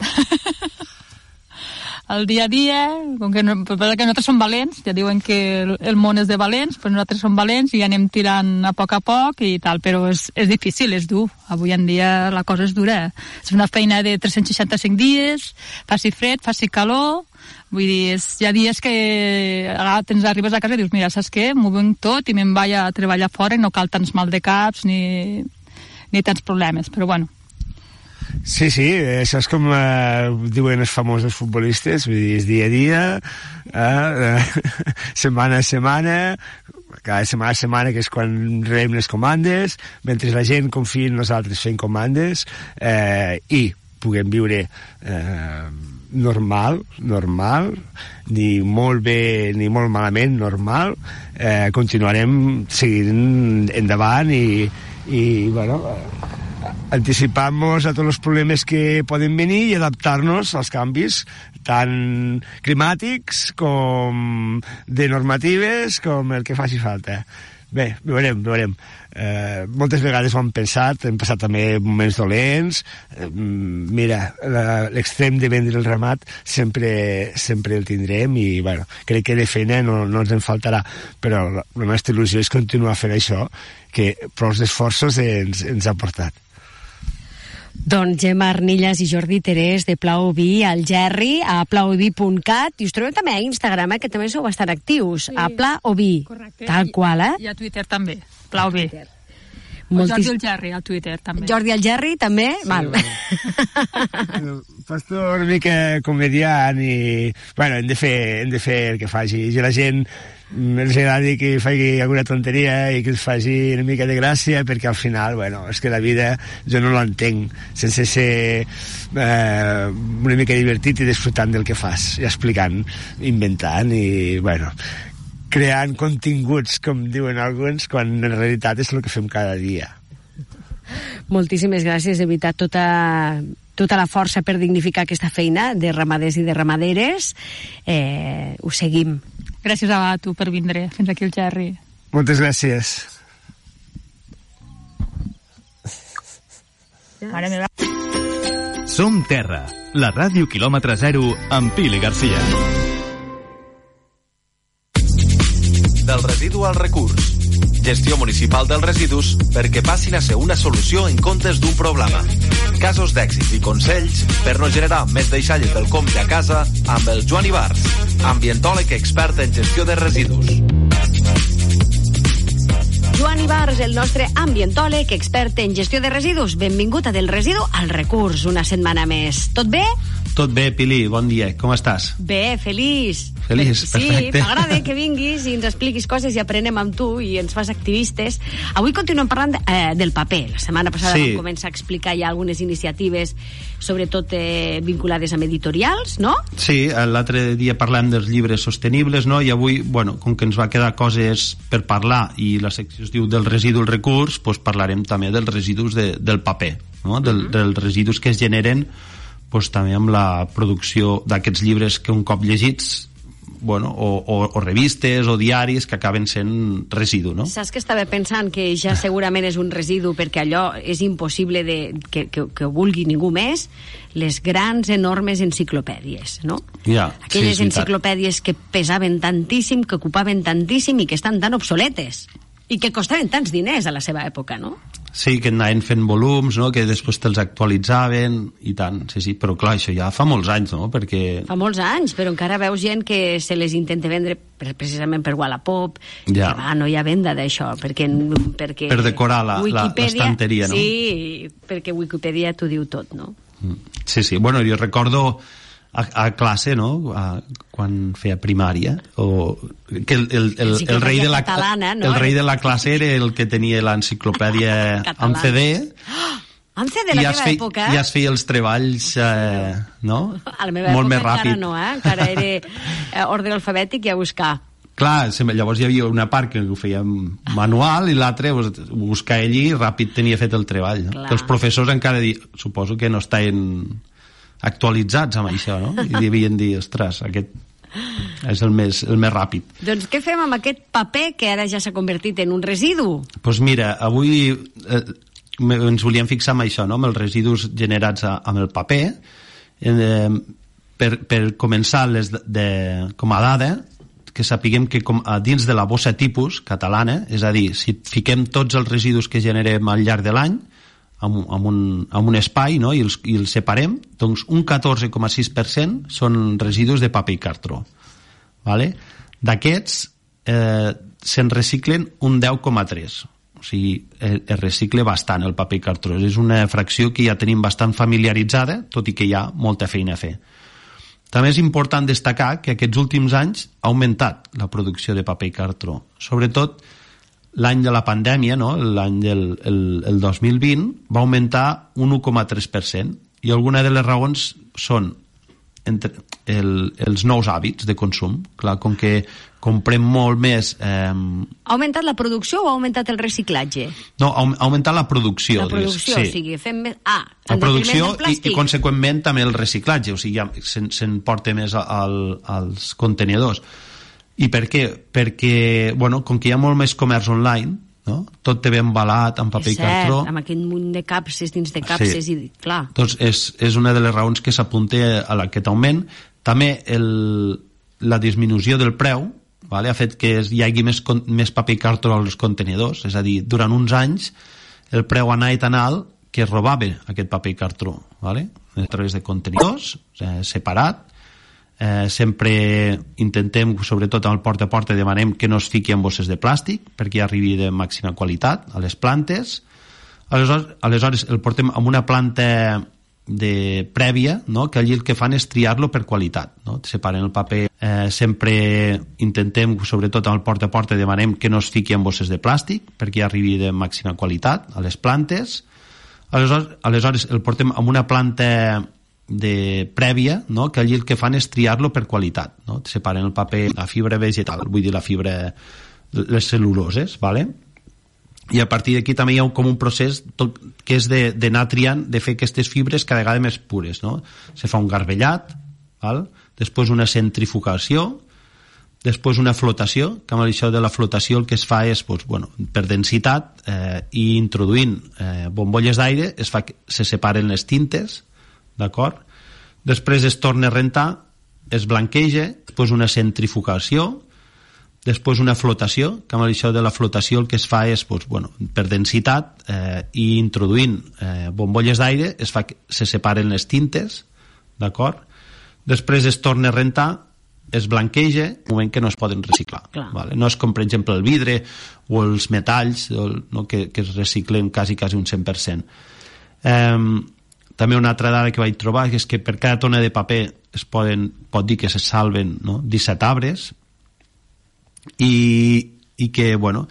El dia a dia, com que, no, que nosaltres som valents, ja diuen que el, el món és de valents, però nosaltres som valents i anem tirant a poc a poc i tal, però és, és difícil, és dur. Avui en dia la cosa és dura. És una feina de tres-cents seixanta-cinc dies, faci fred, faci calor, vull dir, és, hi ha dies que tens, arribes a casa i dius, mira, saps què? M'ho venc tot i me'n vaig a treballar fora i no cal tants mal de caps ni, ni tants problemes, però bueno. Sí, sí, això és com eh, diuen els famosos futbolistes, vull dir, és dia a dia, eh, eh, setmana a setmana, cada setmana a setmana, que és quan rebem les comandes, mentre la gent confia en nosaltres fent comandes, eh, i puguem viure eh, normal, normal, ni molt bé ni molt malament, normal, eh, continuarem seguint endavant i, i bueno, anticipar-nos a tots els problemes que poden venir i adaptar-nos als canvis tant climàtics com de normatives com el que faci falta. bé, veurem, veurem. Eh, moltes vegades ho hem pensat, hem passat també moments dolents. Eh, mira, la, l'extrem de vendre el ramat sempre, sempre el tindrem i, bueno, crec que de feina no, no ens en faltarà, però la, la nostra il·lusió és continuar fent això, que prou esforços ens, ens ha portat. Doncs Gemma Arnillas i Jordi Terés de Plau Vi al Gerri, a plauvi punt cat, i us trobeu també a Instagram, eh, que també sou bastant actius, sí. A Plau Vi, correcte. Tal qual, eh? I a Twitter també, Plau Vi. Moltis... Jordi el Gerri al Twitter també. Jordi el Gerri també? Sí, val. Bueno. Pastor una mica comediant i... Bueno, hem de fer, hem de fer el que faci. I la gent els agrada que faci alguna tonteria i que els faci una mica de gràcia, perquè al final, bueno, és que la vida jo no l'entenc sense ser eh, una mica divertit i disfrutant del que fas, i explicant, inventant i, bueno, creant continguts, com diuen alguns, quan en realitat és el que fem cada dia. Moltíssimes gràcies, de veritat, tota, tota la força per dignificar aquesta feina de ramaders i de ramaderes. Eh, ho seguim. Gràcies a tu per vindre fins aquí al Gerri. Moltes gràcies. Mare meva. Som Terra, la ràdio quilòmetre zero amb Pili Garcia. Del residu al recurs. Gestió municipal dels residus perquè passin a ser una solució en comptes d'un problema. Casos d'èxit i consells per no generar més deixalles del compte a casa amb el Joan Ibars, ambientòleg expert en gestió de residus. Joan Ibars, el nostre ambientòleg expert en gestió de residus. Benvingut a Del Residu al Recurs, una setmana més. Tot bé? Tot bé, Pili, bon dia, com estàs? Bé, feliç. Feliç, perfecte. Sí, m'agrada que vinguis i ens expliquis coses i aprenem amb tu i ens fas activistes. Avui continuem parlant de, eh, del paper. La setmana passada sí. Vam començar a explicar ja algunes iniciatives, sobretot eh, vinculades amb editorials, no? Sí, l'altre dia parlem dels llibres sostenibles, no? I avui, bueno, com que ens va quedar coses per parlar i la secció es diu del residu al recurs, doncs parlarem també dels residus de, del paper, no? Del, uh-huh. dels residus que es generen doncs, també amb la producció d'aquests llibres que un cop llegits, bueno, o, o, o revistes o diaris que acaben sent residu, no? Saps que estava pensant que ja segurament és un residu perquè allò és impossible de, que, que, que ho vulgui ningú més, les grans, enormes enciclopèdies, no? Ja, aquelles sí, enciclopèdies que pesaven tantíssim, que ocupaven tantíssim i que estan tan obsoletes i que costaven tants diners a la seva època, no? Sí, que anaven fent volums, no? Que després te'ls actualitzaven i tant, sí, sí, però clar, això ja fa molts anys, no? Perquè... Fa molts anys, però encara veus gent que se les intenta vendre precisament per Wallapop, ja. Que va, no hi ha venda d'això, perquè, perquè... Per decorar la, l'estanteria, no? Sí, perquè Wikipedia t'ho diu tot, no? Sí, sí, bueno, jo recordo a, a classe, no?, a, quan feia primària, o que el, el, el, el, rei de la, catalana, no? el rei de la classe era el que tenia l'enciclopèdia en C D, en C D de la meva època, i es feia els treballs, eh, no?, a la meva molt més època ràpid. Encara no, eh? Encara era eh, ordre alfabètic i a buscar. Clar, llavors hi havia una part que ho fèiem manual i l'altra buscar ell i ràpid tenia fet el treball, no? Els professors encara di... suposo que no estaven actualitzats amb això, no? I devien dir, ostres, aquest és el més, el més ràpid. Doncs què fem amb aquest paper que ara ja s'ha convertit en un residu? Doncs pues mira, avui eh, ens volíem fixar en això, no?, amb els residus generats a, amb el paper. Eh, per, per començar les de, de, com a dada, que sapiguem que com a dins de la bossa tipus catalana, és a dir, si fiquem tots els residus que generem al llarg de l'any amb, amb, un, amb un espai, no?, i els, i els separem, doncs un catorze coma sis per cent són residus de paper i cartró. Vale? D'aquests eh, se'n reciclen un deu coma tres. O sigui, es, es recicle bastant el paper i cartró. És una fracció que ja tenim bastant familiaritzada, tot i que hi ha molta feina a fer. També és important destacar que aquests últims anys ha augmentat la producció de paper i cartró. Sobretot l'any de la pandèmia, no?, l'any del el, el dos mil vint, va augmentar un un coma tres per cent. I alguna de les raons són entre el, els nous hàbits de consum. Clar, com que comprem molt més... Eh... Ha augmentat la producció o ha augmentat el reciclatge? No, ha augmentat la producció. La producció, sí. O sigui, fem més... Ah, la producció i, i, conseqüentment, també el reciclatge. O sigui, ja se'n se porta més al, als contenidors. I per què? Perquè, bueno, com que hi ha molt més comerç online, no? Tot té ben embalat amb paper és i cartró. Cert, amb aquest munt de capses dins de capses, sí. I clar. Doncs és, és una de les raons que s'apunta a aquest augment. També el, la disminució del preu, vale, ha fet que hi hagi més, més paper i cartró als contenidors, és a dir, durant uns anys el preu anava tan alt que es robava aquest paper i cartró, vale? A través de contenidors, eh, separat. Eh, sempre intentem, sobretot amb el porta a porta, demanem que no es fiqui en bosses de plàstic perquè arribi de màxima qualitat a les plantes. Aleshores, aleshores el portem amb una planta de prèvia, no? Que allí el que fan és triar-lo per qualitat, no? Separen el paper. Eh, sempre intentem, sobretot amb el porta a porta, demanem que no es fiqui en bosses de plàstic perquè arribi de màxima qualitat a les plantes. Aleshores, aleshores el portem amb una planta de prèvia, no? Que allí el que fan és triar-lo per qualitat, no? Separen el paper, la fibra vegetal, vull dir la fibra, les cel·luloses, vale? I a partir d'aquí també hi ha com un procés tot, que és d'anar triant, de fer aquestes fibres cada vegada més pures, no? Se fa un garbellat, val? Després una centrifugació, després una flotació, que amb això de la flotació el que es fa és, doncs, bueno, per densitat, eh, i introduint eh, bombolles d'aire, es fa que se separen les tintes, d'acord? Després es torna a rentar, es blanqueja, després una centrifugació, després una flotació, que amb això de la flotació el que es fa és, doncs, bueno, per densitat, eh, i introduint eh, bombolles d'aire, es fa que se separen les tintes, d'acord? Després es torna a rentar, es blanqueja, un moment que no es poden reciclar. Vale? No és com, per exemple, el vidre o els metalls, no? que, que es reciclen quasi, quasi un cent per cent. Eh, També una altra dada que vaig trobar és que per cada tona de paper es poden, pot dir que se salven, no? disset arbres, i, i que, bueno,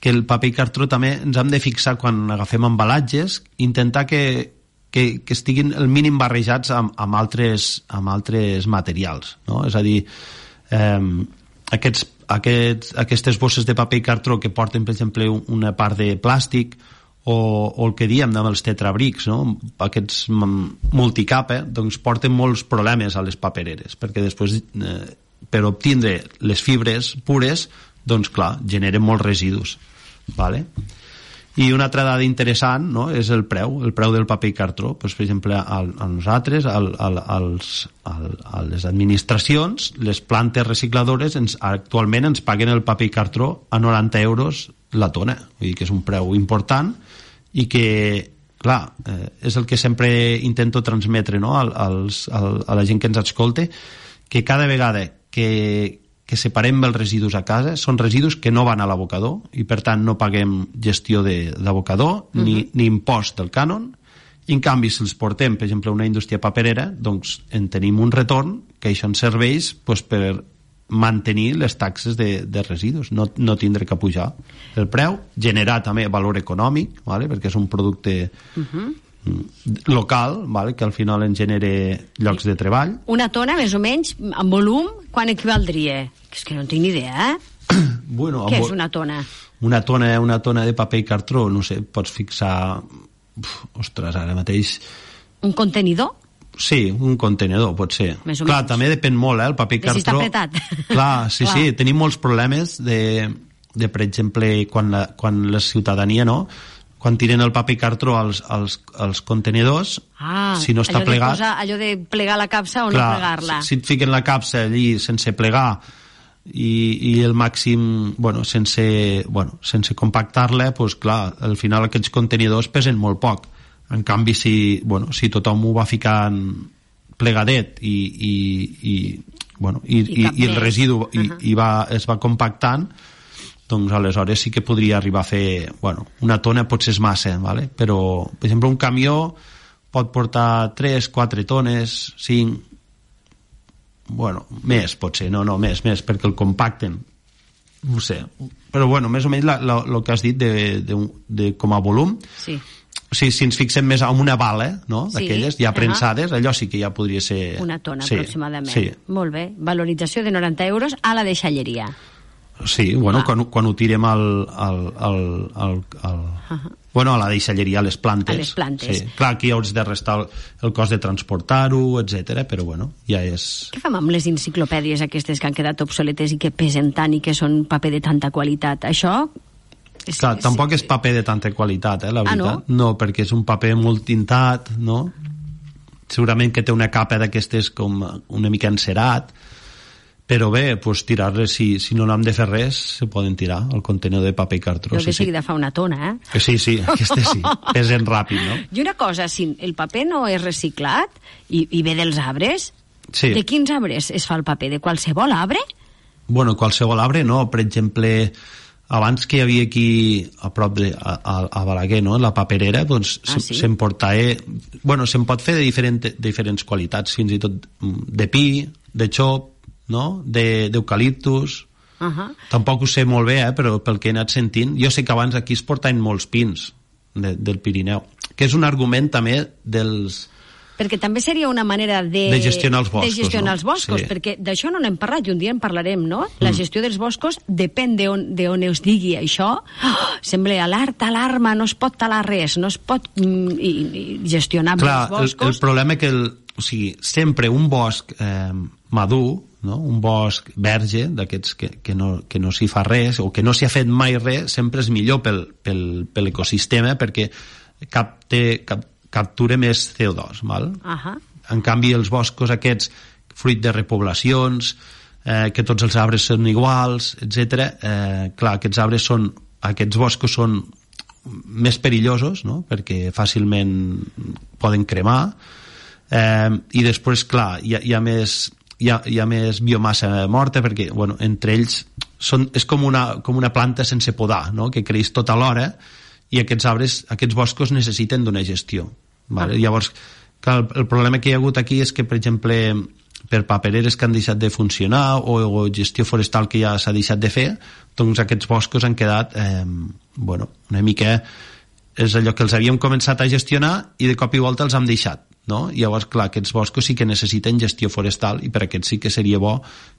que el paper i cartró també ens hem de fixar quan agafem embalatges, intentar que, que, que estiguin el mínim barrejats amb, amb, altres, amb altres materials, no? És a dir, eh, aquests, aquests, aquestes bosses de paper i cartró que porten, per exemple, una part de plàstic, o, o el que diem amb els tetrabrics, no? Aquests multicapa, doncs porten molts problemes a les papereres, perquè després eh, per obtindre les fibres pures, doncs clar, generen molts residus, vale? I una altra dada interessant, no? És el preu, el preu del paper i cartró. Pues, per exemple, a, a nosaltres, al, al, als, al, a les administracions, les plantes recicladores ens, actualment ens paguen el paper i cartró a noranta euros la tona, vull dir que és un preu important i que, clar, eh, és el que sempre intento transmetre, no? als, al, a la gent que ens escolta, que cada vegada que, que separem els residus a casa són residus que no van a l'abocador i per tant no paguem gestió d'abocador, uh-huh. ni, ni impost del cànon, i en canvi si els portem, per exemple, a una indústria paperera, doncs en tenim un retorn que això ens serveix doncs, per mantenir les taxes de, de residus, no, no tindre que pujar el preu, generar també valor econòmic, vale? Perquè és un producte uh-huh. local, vale? Que al final en genera llocs de treball. Una tona, més o menys, en volum, quan equivaldria? És que no tinc ni idea, eh? Bueno, què és una tona? Una tona, una tona de paper i cartró, no sé, pots fixar... Uf, ostres, ara mateix... Un contenidor? Sí, un contenedor, pot ser. Més o clar, menys. També depèn molt, eh, el paper i cartró. De si està apretat. Clar, sí, clar. Sí, tenim molts problemes de, de per exemple, quan la, quan la ciutadania, no?, quan tiren el paper i cartró als, als, als contenidors, ah, si no està allò plegat... De posar, allò de plegar la capsa o clar, no plegar-la. Si, si et fiquen la capsa allí sense plegar i, i el màxim, bueno, sense, bueno, sense compactar-la, doncs clar, al final aquests contenidors pesen molt poc. En canvi, si, bueno, si tothom ho va ficant plegadet i, i, i, bueno, i, I, i, i el residu uh-huh. i, i va, es va compactant, doncs aleshores sí que podria arribar a fer, bueno, una tona potser és massa, ¿vale? Però, per exemple, un camió pot portar tres, quatre tones, cinc, bueno, més potser, no, no, més, més, perquè el compacten, no sé, però bueno, més o menys el que has dit de, de, de, com a volum, sí. O sigui, si ens fixem més en una bala, no? Sí, d'aquelles ja prensades, uh-huh. allò sí que ja podria ser... Una tona, sí, aproximadament. Sí. Molt bé. Valorització de noranta euros a la deixalleria. Sí, bueno, quan, quan ho tirem al, al, al, al, al, uh-huh. bueno, a la deixalleria, a les plantes. A les plantes. Sí. Clar, aquí hauràs de restar el, el cost de transportar-ho, etcètera, però bueno, ja és... Què fem amb les enciclopèdies aquestes que han quedat obsoletes i que pesen tant i que són paper de tanta qualitat? Això... És, Clar, tampoc és paper de tanta qualitat, eh, la veritat. Ah, no? No, perquè és un paper molt tintat, no? Segurament que té una capa d'aquestes com una mica encerat, però bé, pues, tirar-les, si, si no n'hem de fer res, se poden tirar al contenidor de paper i cartró. Però que sí, seguida sí. fa una tona, eh? Sí, sí, aquestes sí, pesen ràpid, no? I una cosa, si el paper no és reciclat i, i ve dels arbres, sí. De quins arbres es fa el paper? De qualsevol arbre? Bueno, qualsevol arbre no, per exemple, abans que hi havia aquí a prop de, a, a Balaguer, no? La paperera, doncs ah, sí? s'emportava, bueno, se'n pot fer de, diferent, de diferents qualitats, fins i tot de pi, de xop, no? d'eucaliptus. Uh-huh. Tampoc ho sé molt bé, eh? Però pel que he anat sentint, jo sé que abans aquí es portaven molts pins de, del Pirineu, que és un argument també dels... Perquè també seria una manera de... De gestionar els boscos, de gestionar no? els boscos, Sí. perquè d'això no n'hem parlat i un dia en parlarem, no? La gestió dels boscos depèn d'on de on es digui això. Oh, sembla alerta, alarma, no es pot talar res, no es pot mm, i, i gestionar Clar, els boscos. El, el problema és que el, o sigui, sempre un bosc eh, madur, no? Un bosc verge, d'aquests que, que no, que no s'hi fa res, o que no s'hi ha fet mai res, sempre és millor pel, pel, per l'ecosistema, perquè cap, té, cap, captura més C O dos, val? Uh-huh. En canvi, els boscos aquests, fruit de repoblacions, eh, que tots els arbres són iguals, etcètera, eh, clar, aquests arbres són, aquests boscos són més perillosos, no? Perquè fàcilment poden cremar, eh, i després, clar, hi ha, hi ha més... Hi ha, hi ha més biomassa morta perquè, bueno, entre ells són, és com una, com una planta sense podar, no? Que creix tota l'hora i aquests arbres, aquests boscos necessiten d'una gestió, vale? Ah. Llavors, el, el problema que hi ha hagut aquí és que, per exemple, per papereres que han deixat de funcionar o, o gestió forestal que ja s'ha deixat de fer, doncs aquests boscos han quedat eh, bueno, una mica és allò que els havíem començat a gestionar i de cop i volta els hem deixat, no? I llavors, clar, aquests boscos sí que necessiten gestió forestal i per aquest sí que seria bo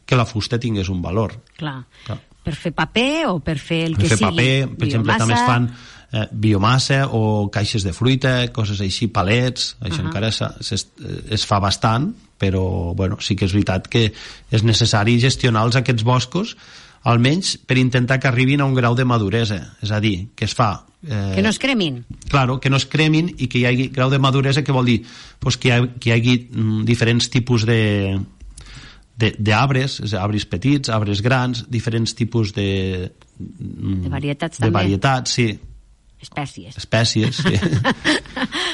que la fusta tingués un valor. Clar, clar. Per fer paper o per fer el per que fer sigui paper, per exemple, també es fan eh, biomassa o caixes de fruita, coses així, palets, això uh-huh. encara es, es, es fa bastant, però bueno, sí que és veritat que és necessari gestionar-los aquests boscos, almenys per intentar que arribin a un grau de maduresa, és a dir, que es fa... Eh, que no es cremin. Claro, que no es cremin i que hi hagi grau de maduresa, que vol dir pues, que, hi ha, que hi hagi mm, diferents tipus de d'arbres, arbres petits, arbres grans, diferents tipus de... Mm, de varietats de també. varietats, sí. Espècies. Espècies, sí.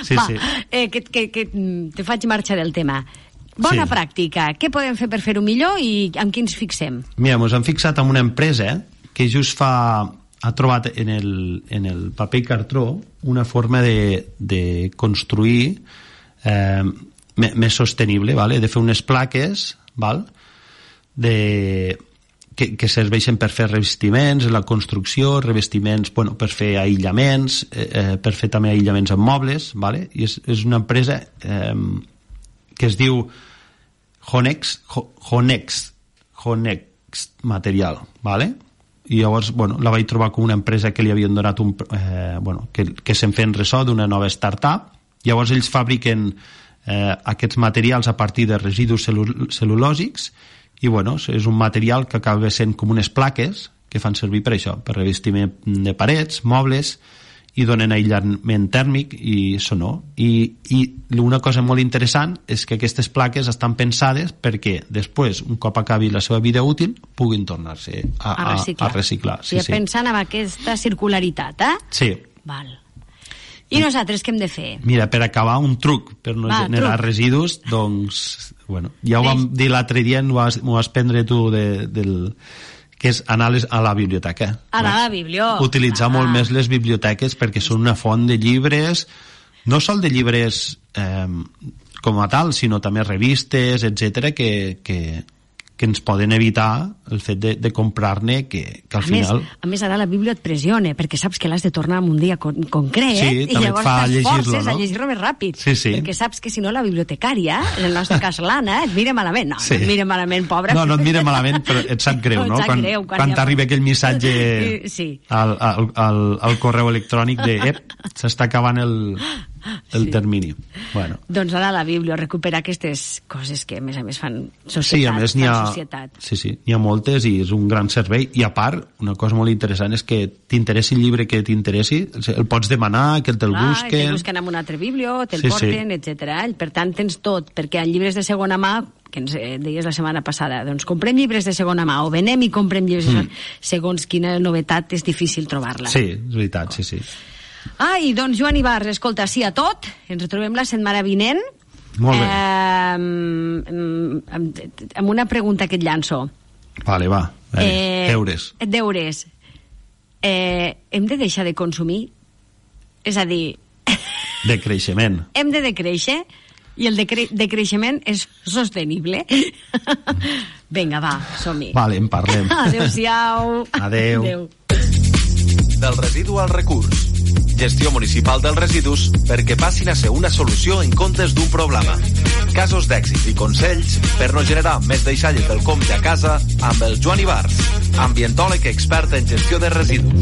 sí, Va, sí. Eh, que, que, que te faig marxa del tema. Bona sí. Pràctica. Què podem fer per fer-ho millor i amb qui ens fixem? Mira, ens hem fixat en una empresa que just fa... ha trobat en el, en el paper i cartró una forma de, de construir eh, més sostenible, vale? De fer unes plaques, val? De, que, que serveixen per fer revestiments, la construcció, revestiments, bueno, per fer aïllaments, eh, per fer també aïllaments en mobles, vale? I és, és una empresa eh, que es diu Honex, Honex, Honex Material, vale? I llavors, bueno, la vaig trobar com una empresa que li havien donat un... Eh, bueno, que, que se'n feien ressò d'una nova startup. Llavors ells fabriquen eh, aquests materials a partir de residus cel·lu cel·lulòsics i, bueno, és un material que acaba sent com unes plaques que fan servir per això, per revestiment de parets, mobles, i donen aïllament tèrmic i sonor. I, i una cosa molt interessant és que aquestes plaques estan pensades perquè després, un cop acabi la seva vida útil, puguin tornar-se a, a, reciclar. a reciclar. Sí, sí. Pensant en aquesta circularitat, eh? Sí. Val. I nosaltres què hem de fer? Mira, per acabar, un truc per no Va, generar truc. residus, doncs, bueno, ja ho vam dir l'altre dia, m'ho vas, vas prendre tu de, del... que és anar a la biblioteca. Anar a la biblioteca. Utilitzar ah. molt més les biblioteques perquè són una font de llibres, no sol de llibres eh, com a tal, sinó també revistes, etcètera, que, que, que ens poden evitar el fet de, de comprar-ne, que, que al a final... Més, a més, ara la Bíblia et pressiona, perquè saps que l'has de tornar en un dia con concret, sí, i llavors t'esforces no? a llegir-lo més ràpid, sí, sí. perquè saps que si no la bibliotecària, en el nostre cas l'Anna, et mira malament. No, sí. no et mira malament, pobra. No, no et mira malament, però et sap greu, no? no? Quan, greu, quan, quan t'arriba aquell missatge sí. al, al, al, al correu electrònic de ep, s'està acabant el... el sí. termini. Bueno. Doncs ara la Bíblia recupera aquestes coses que a més a més fan societat. Sí, a més n'hi ha, societat. sí, sí, n'hi ha moltes i és un gran servei. I a part, una cosa molt interessant és que t'interessi el llibre que t'interessi, el pots demanar, que te'l Clar, busquen... Te'l busquen en una altra biblio, te'l sí, porten, sí. etcètera. Per tant, tens tot, perquè en llibres de segona mà, que ens deies la setmana passada, doncs comprem llibres de segona mà o venem i comprem llibres mm. segons quina novetat és difícil trobar-la. Sí, és veritat, sí, sí. Ai, doncs Joan Ibarz, escolta, sí a tot. Ens retrobem la setmana vinent. Molt bé. Eh, amb, amb una pregunta que et llanço. Vale, va. Veure, eh, deures. Deures. Eh, hem de deixar de consumir? És a dir... De creixement. Hem de decréixer i el decre decreixement és sostenible. Vinga, va, som-hi. Vale, en parlem. Adéu-siau. Adéu. Adéu. Del residu al recurs. Gestió municipal dels residus perquè passin a ser una solució en comptes d'un problema. Casos d'èxit i consells per no generar més deixalles del compte a casa amb el Joan Ibarz, ambientòleg expert en gestió de residus.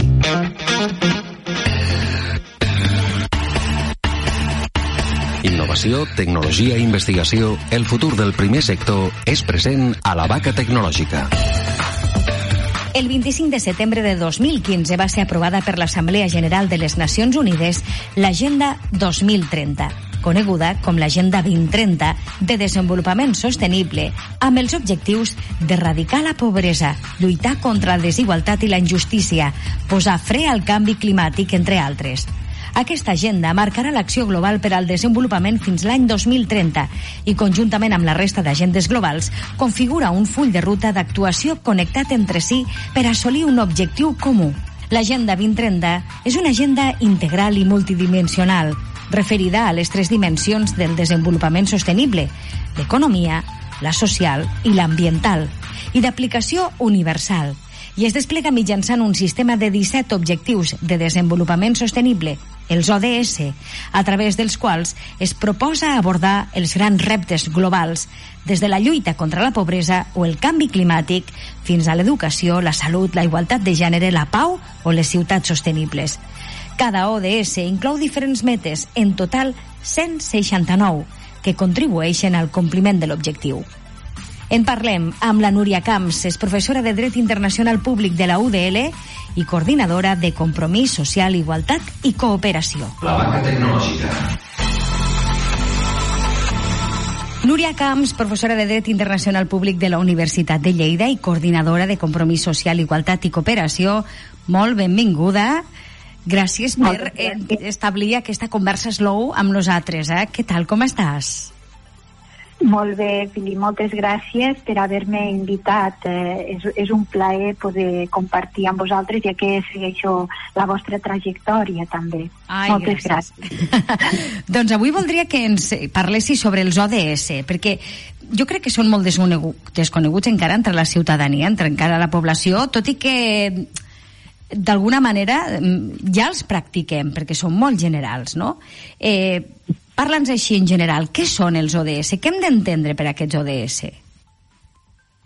Innovació, tecnologia i investigació, el futur del primer sector és present a la Vaca Tecnològica. El vint-i-cinc de setembre de dos mil quinze va ser aprovada per l'Assemblea General de les Nacions Unides l'Agenda dos mil trenta, coneguda com l'Agenda vint trenta de Desenvolupament Sostenible, amb els objectius d'erradicar la pobresa, lluitar contra la desigualtat i la injustícia, posar fre al canvi climàtic, entre altres. Aquesta agenda marcarà l'acció global per al desenvolupament fins l'any dos mil trenta i, conjuntament amb la resta d'agendes globals, configura un full de ruta d'actuació connectat entre si per assolir un objectiu comú. L'Agenda vint trenta és una agenda integral i multidimensional, referida a les tres dimensions del desenvolupament sostenible, l'economia, la social i l'ambiental, i d'aplicació universal, i es desplega mitjançant un sistema de disset objectius de desenvolupament sostenible, els O D S, a través dels quals es proposa abordar els grans reptes globals, des de la lluita contra la pobresa o el canvi climàtic fins a l'educació, la salut, la igualtat de gènere, la pau o les ciutats sostenibles. Cada O D S inclou diferents metes, en total cent seixanta-nou, que contribueixen al compliment de l'objectiu. En parlem amb la Núria Camps, és professora de Dret Internacional Públic de la U D L i coordinadora de Compromís Social, Igualtat i Cooperació. La Vaca Tecnològica. Núria Camps, professora de Dret Internacional Públic de la Universitat de Lleida i coordinadora de Compromís Social, Igualtat i Cooperació, molt benvinguda. Gràcies per eh, establir aquesta conversa slow amb nosaltres. Eh? Què tal, com estàs? Molt bé, Fili, moltes gràcies per haver-me invitat. Eh, és, és un plaer poder compartir amb vosaltres, ja que segueixo la vostra trajectòria també. Ai, moltes gràcies. gràcies. Doncs avui voldria que ens parlessis sobre els O D S, perquè jo crec que són molt desconeguts encara entre la ciutadania, entre encara la població, tot i que d'alguna manera ja els practiquem, perquè són molt generals, no? Eh, Parla'ns així en general, què són els O D S? Què hem d'entendre per aquests O D S?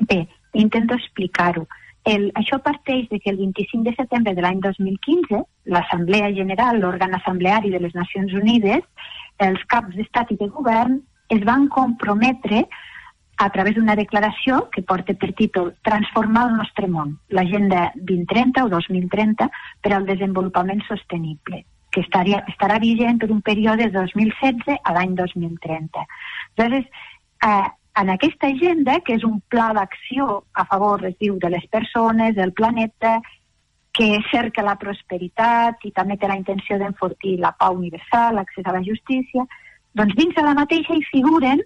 Bé, intento explicar-ho. El, això parteix de que el vint-i-cinc de setembre de l'any dos mil quinze, l'Assemblea General, l'òrgan assembleari de les Nacions Unides, els caps d'estat i de govern es van comprometre a través d'una declaració que porta per títol Transformar el nostre món, l'Agenda vint trenta o dos mil trenta per al desenvolupament sostenible, que estaria, estarà vigent per un període de dos mil setze a l'any dos mil trenta. Llavors, eh, en aquesta agenda, que és un pla d'acció a favor, es diu, de les persones, del planeta, que cerca la prosperitat i també té la intenció d'enfortir la pau universal, l'accés a la justícia, doncs dins de la mateixa hi figuren,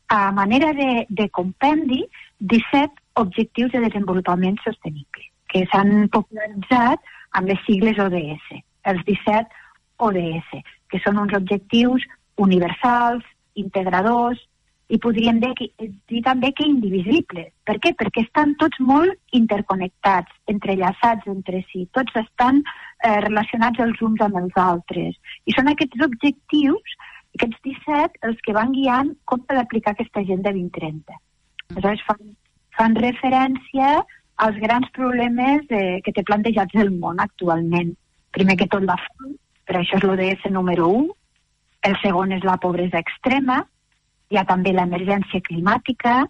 a manera de, de compendi, disset objectius de desenvolupament sostenible, que s'han popularitzat amb les sigles O D S, els disset O D S, que són uns objectius universals, integradors, i podríem dir, dir també que indivisibles. Per què? Perquè estan tots molt interconnectats, entrellaçats entre si, tots estan eh, relacionats els uns amb els altres. I són aquests objectius, aquests disset, els que van guiant com per aplicar aquesta Agenda vint trenta. Aleshores, fan, fan referència als grans problemes eh, que té plantejats el món actualment. Primer que tot la fam, per això és l'O D S número u, el segon és la pobresa extrema, hi ha també l'emergència climàtica,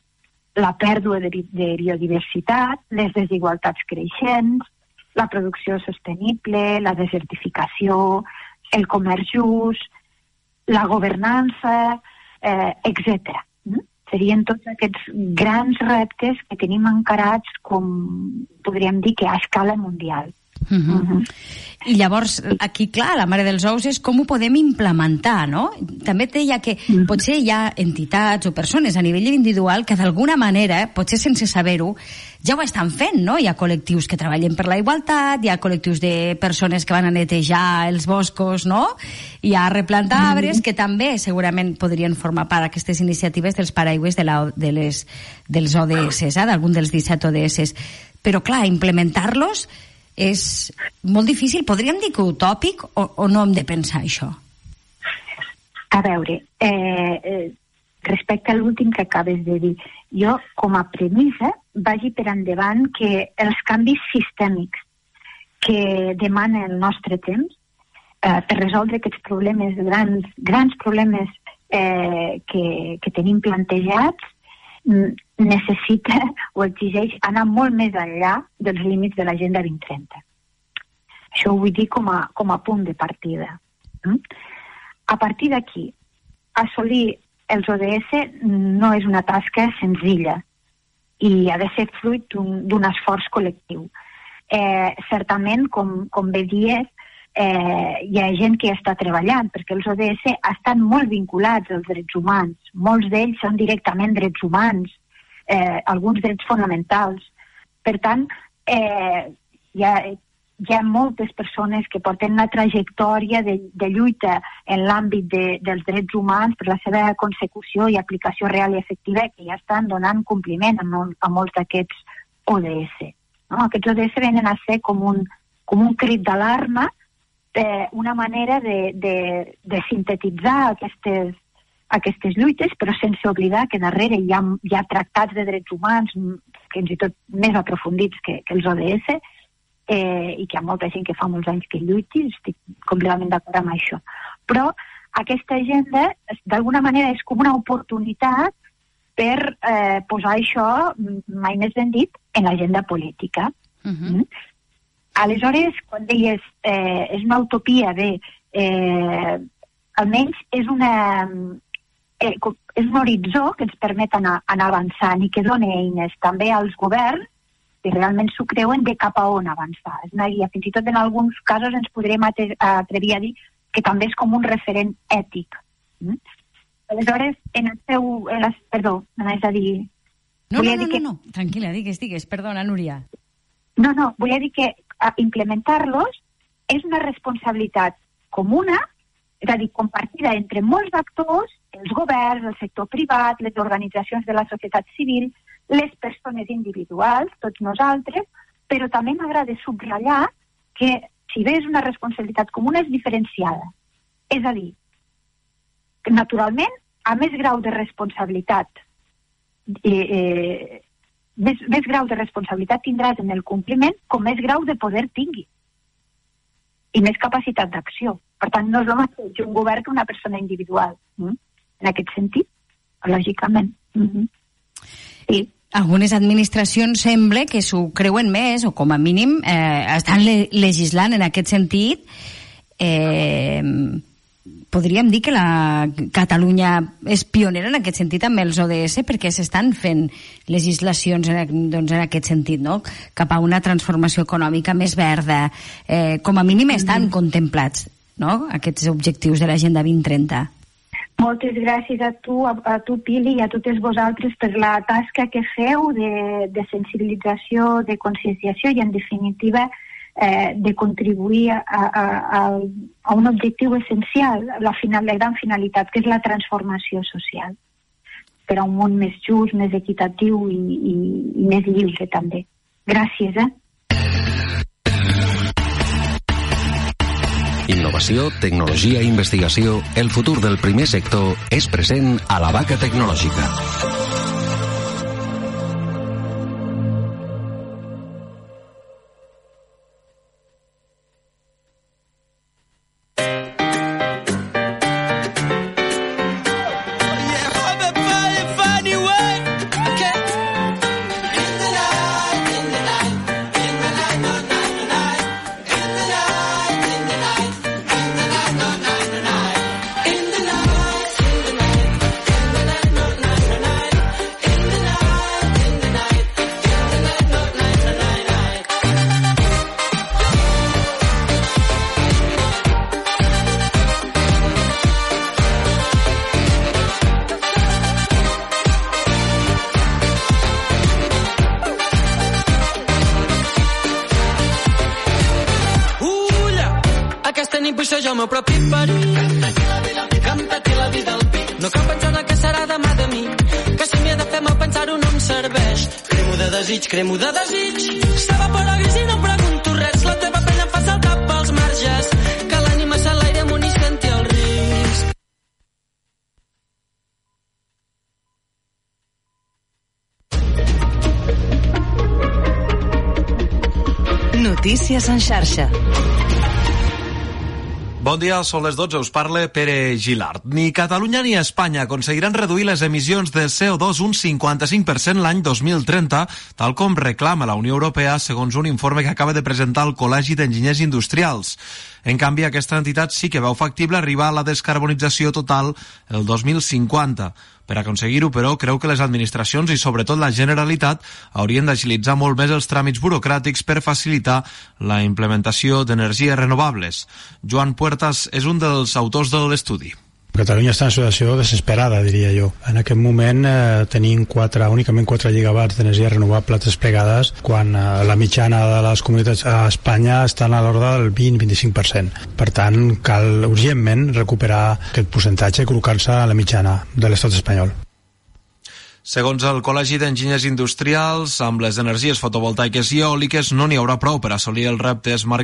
la pèrdua de, de biodiversitat, les desigualtats creixents, la producció sostenible, la desertificació, el comerç just, la governança, eh, etcètera. Mm? Serien tots aquests grans reptes que tenim encarats, com podríem dir, que a escala mundial. Uh -huh. Uh -huh. I llavors, aquí, clar, la mare dels ous és com ho podem implementar, no? També et deia que uh -huh. potser hi ha entitats o persones a nivell individual que d'alguna manera, potser sense saber-ho, ja ho estan fent, no? Hi ha col·lectius que treballen per la igualtat, hi ha col·lectius de persones que van a netejar els boscos, no? Hi ha replantar arbres, que també segurament podrien formar part d'aquestes iniciatives dels paraigües de, la, de les, dels O D S, eh? d'algun dels disset O D S. Però, clar, implementar-los és molt difícil. Podríem dir que utòpic o, o no hem de pensar això? A veure, eh, eh, respecte a l'últim que acabes de dir, jo com a premissa vagi per endavant que els canvis sistèmics que demana el nostre temps eh, per resoldre aquests problemes, grans, grans problemes eh, que, que tenim plantejats, necessita o exigeix anar molt més enllà dels límits de l'Agenda vint trenta. Això ho vull dir com a, com a punt de partida. Mm? A partir d'aquí, assolir els O D S no és una tasca senzilla i ha de ser fruit d'un esforç col·lectiu. Eh, certament, com, com bé dies, eh, hi ha gent que està treballant, perquè els O D S estan molt vinculats als drets humans. Molts d'ells són directament drets humans, eh, alguns drets fonamentals. Per tant, eh, hi, ha, hi ha moltes persones que porten una trajectòria de, de lluita en l'àmbit de, dels drets humans per la seva consecució i aplicació real i efectiva, que ja estan donant compliment a, mol, a molts d'aquests O D S. No? Aquests O D S venen a ser com un, com un crit d'alarma, eh, una manera de, de, de sintetitzar aquestes, aquestes lluites, però sense oblidar que darrere hi ha, hi ha tractats de drets humans, fins i tot més aprofundits que, que els O D S, eh, i que hi ha molta gent que fa molts anys que lluiti, estic completament d'acord amb això. Però aquesta agenda, d'alguna manera, és com una oportunitat per eh, posar això, mai més ben dit, en l'agenda política. Uh-huh. Mm? Aleshores, quan deies eh, és una utopia bé, eh, almenys és una eh, és un horitzó que ens permet anar, anar avançant i que dona eines també als governs que realment s'ho creuen de cap a on avançar. És una guia, fins i tot en alguns casos ens podrem atrevir a dir que també és com un referent ètic. Mm? Aleshores, en el seu... En les, perdó, m'anaves a dir... No, no, no, no, que... no, tranquil·la, digues, digues, perdona, Núria. No, no, volia dir que implementar-los és una responsabilitat comuna, és a dir, compartida entre molts actors, els governs, el sector privat, les organitzacions de la societat civil, les persones individuals, tots nosaltres, però també m'agrada subratllar que, si bé és una responsabilitat comuna, és diferenciada. És a dir, que naturalment, a més grau de responsabilitat, eh, eh, més, més grau de responsabilitat tindràs en el compliment com més grau de poder tingui i més capacitat d'acció. Per tant, no és el mateix un govern que una persona individual. Mm? En aquest sentit, lògicament. Mm-hmm. Sí. Algunes administracions sembla que s'ho creuen més, o com a mínim eh, estan le legislant en aquest sentit. Eh, podríem dir que la Catalunya és pionera en aquest sentit amb els O D S, perquè s'estan fent legislacions en, doncs, en aquest sentit, no? Cap a una transformació econòmica més verda. Eh, com a mínim estan mm-hmm. contemplats, no? Aquests objectius de l'Agenda vint trenta. Moltes gràcies a tu, a, a tu, Pili, i a totes vosaltres per la tasca que feu de, de sensibilització, de conscienciació i, en definitiva, eh, de contribuir a, a, a, a un objectiu essencial, la, final, la gran finalitat, que és la transformació social. per a un món més just, més equitatiu i, i, i més lliure també. Gràcies, eh? Innovació, tecnologia i investigació, el futur del primer sector és present a la Vaca Tecnològica. Jo el meu propi perill, que em peti la vida al pit. No cal pensar en el que serà demà de mi, que si m'hi he de fer mal pensar-ho no em serveix. Cremo de desig, cremo de desig, s'evapora gris i no pregunto res. La teva pena em fa saltar pels marges, que l'ànima s'enlaire amunt i senti el risc. Notícies en xarxa. Bon dia, són les dotze, us parla Pere Gilart. Ni Catalunya ni Espanya aconseguiran reduir les emissions de C O dos un cinquanta-cinc per cent l'any dos mil trenta, tal com reclama la Unió Europea, segons un informe que acaba de presentar el Col·legi d'Enginyers Industrials. En canvi, aquesta entitat sí que veu factible arribar a la descarbonització total el dos mil cinquanta. Per aconseguir-ho, però, creu que les administracions i sobretot la Generalitat haurien d'agilitzar molt més els tràmits burocràtics per facilitar la implementació d'energies renovables. Joan Puertas és un dels autors de l'estudi. Catalunya està en situació desesperada, diria jo. En aquest moment eh, tenim quatre, únicament quatre gigawatts d'energia renovable desplegades, quan eh, la mitjana de les comunitats a Espanya estan a l'ordre del vint a vint-i-cinc per cent. Per tant, cal urgentment recuperar aquest percentatge i col·locar-se a la mitjana de l'estat espanyol. Segons el Col·legi d'Enginyers Industrials, amb les energies fotovoltaiques i eòliques no n'hi haurà prou per assolir els reptes marcats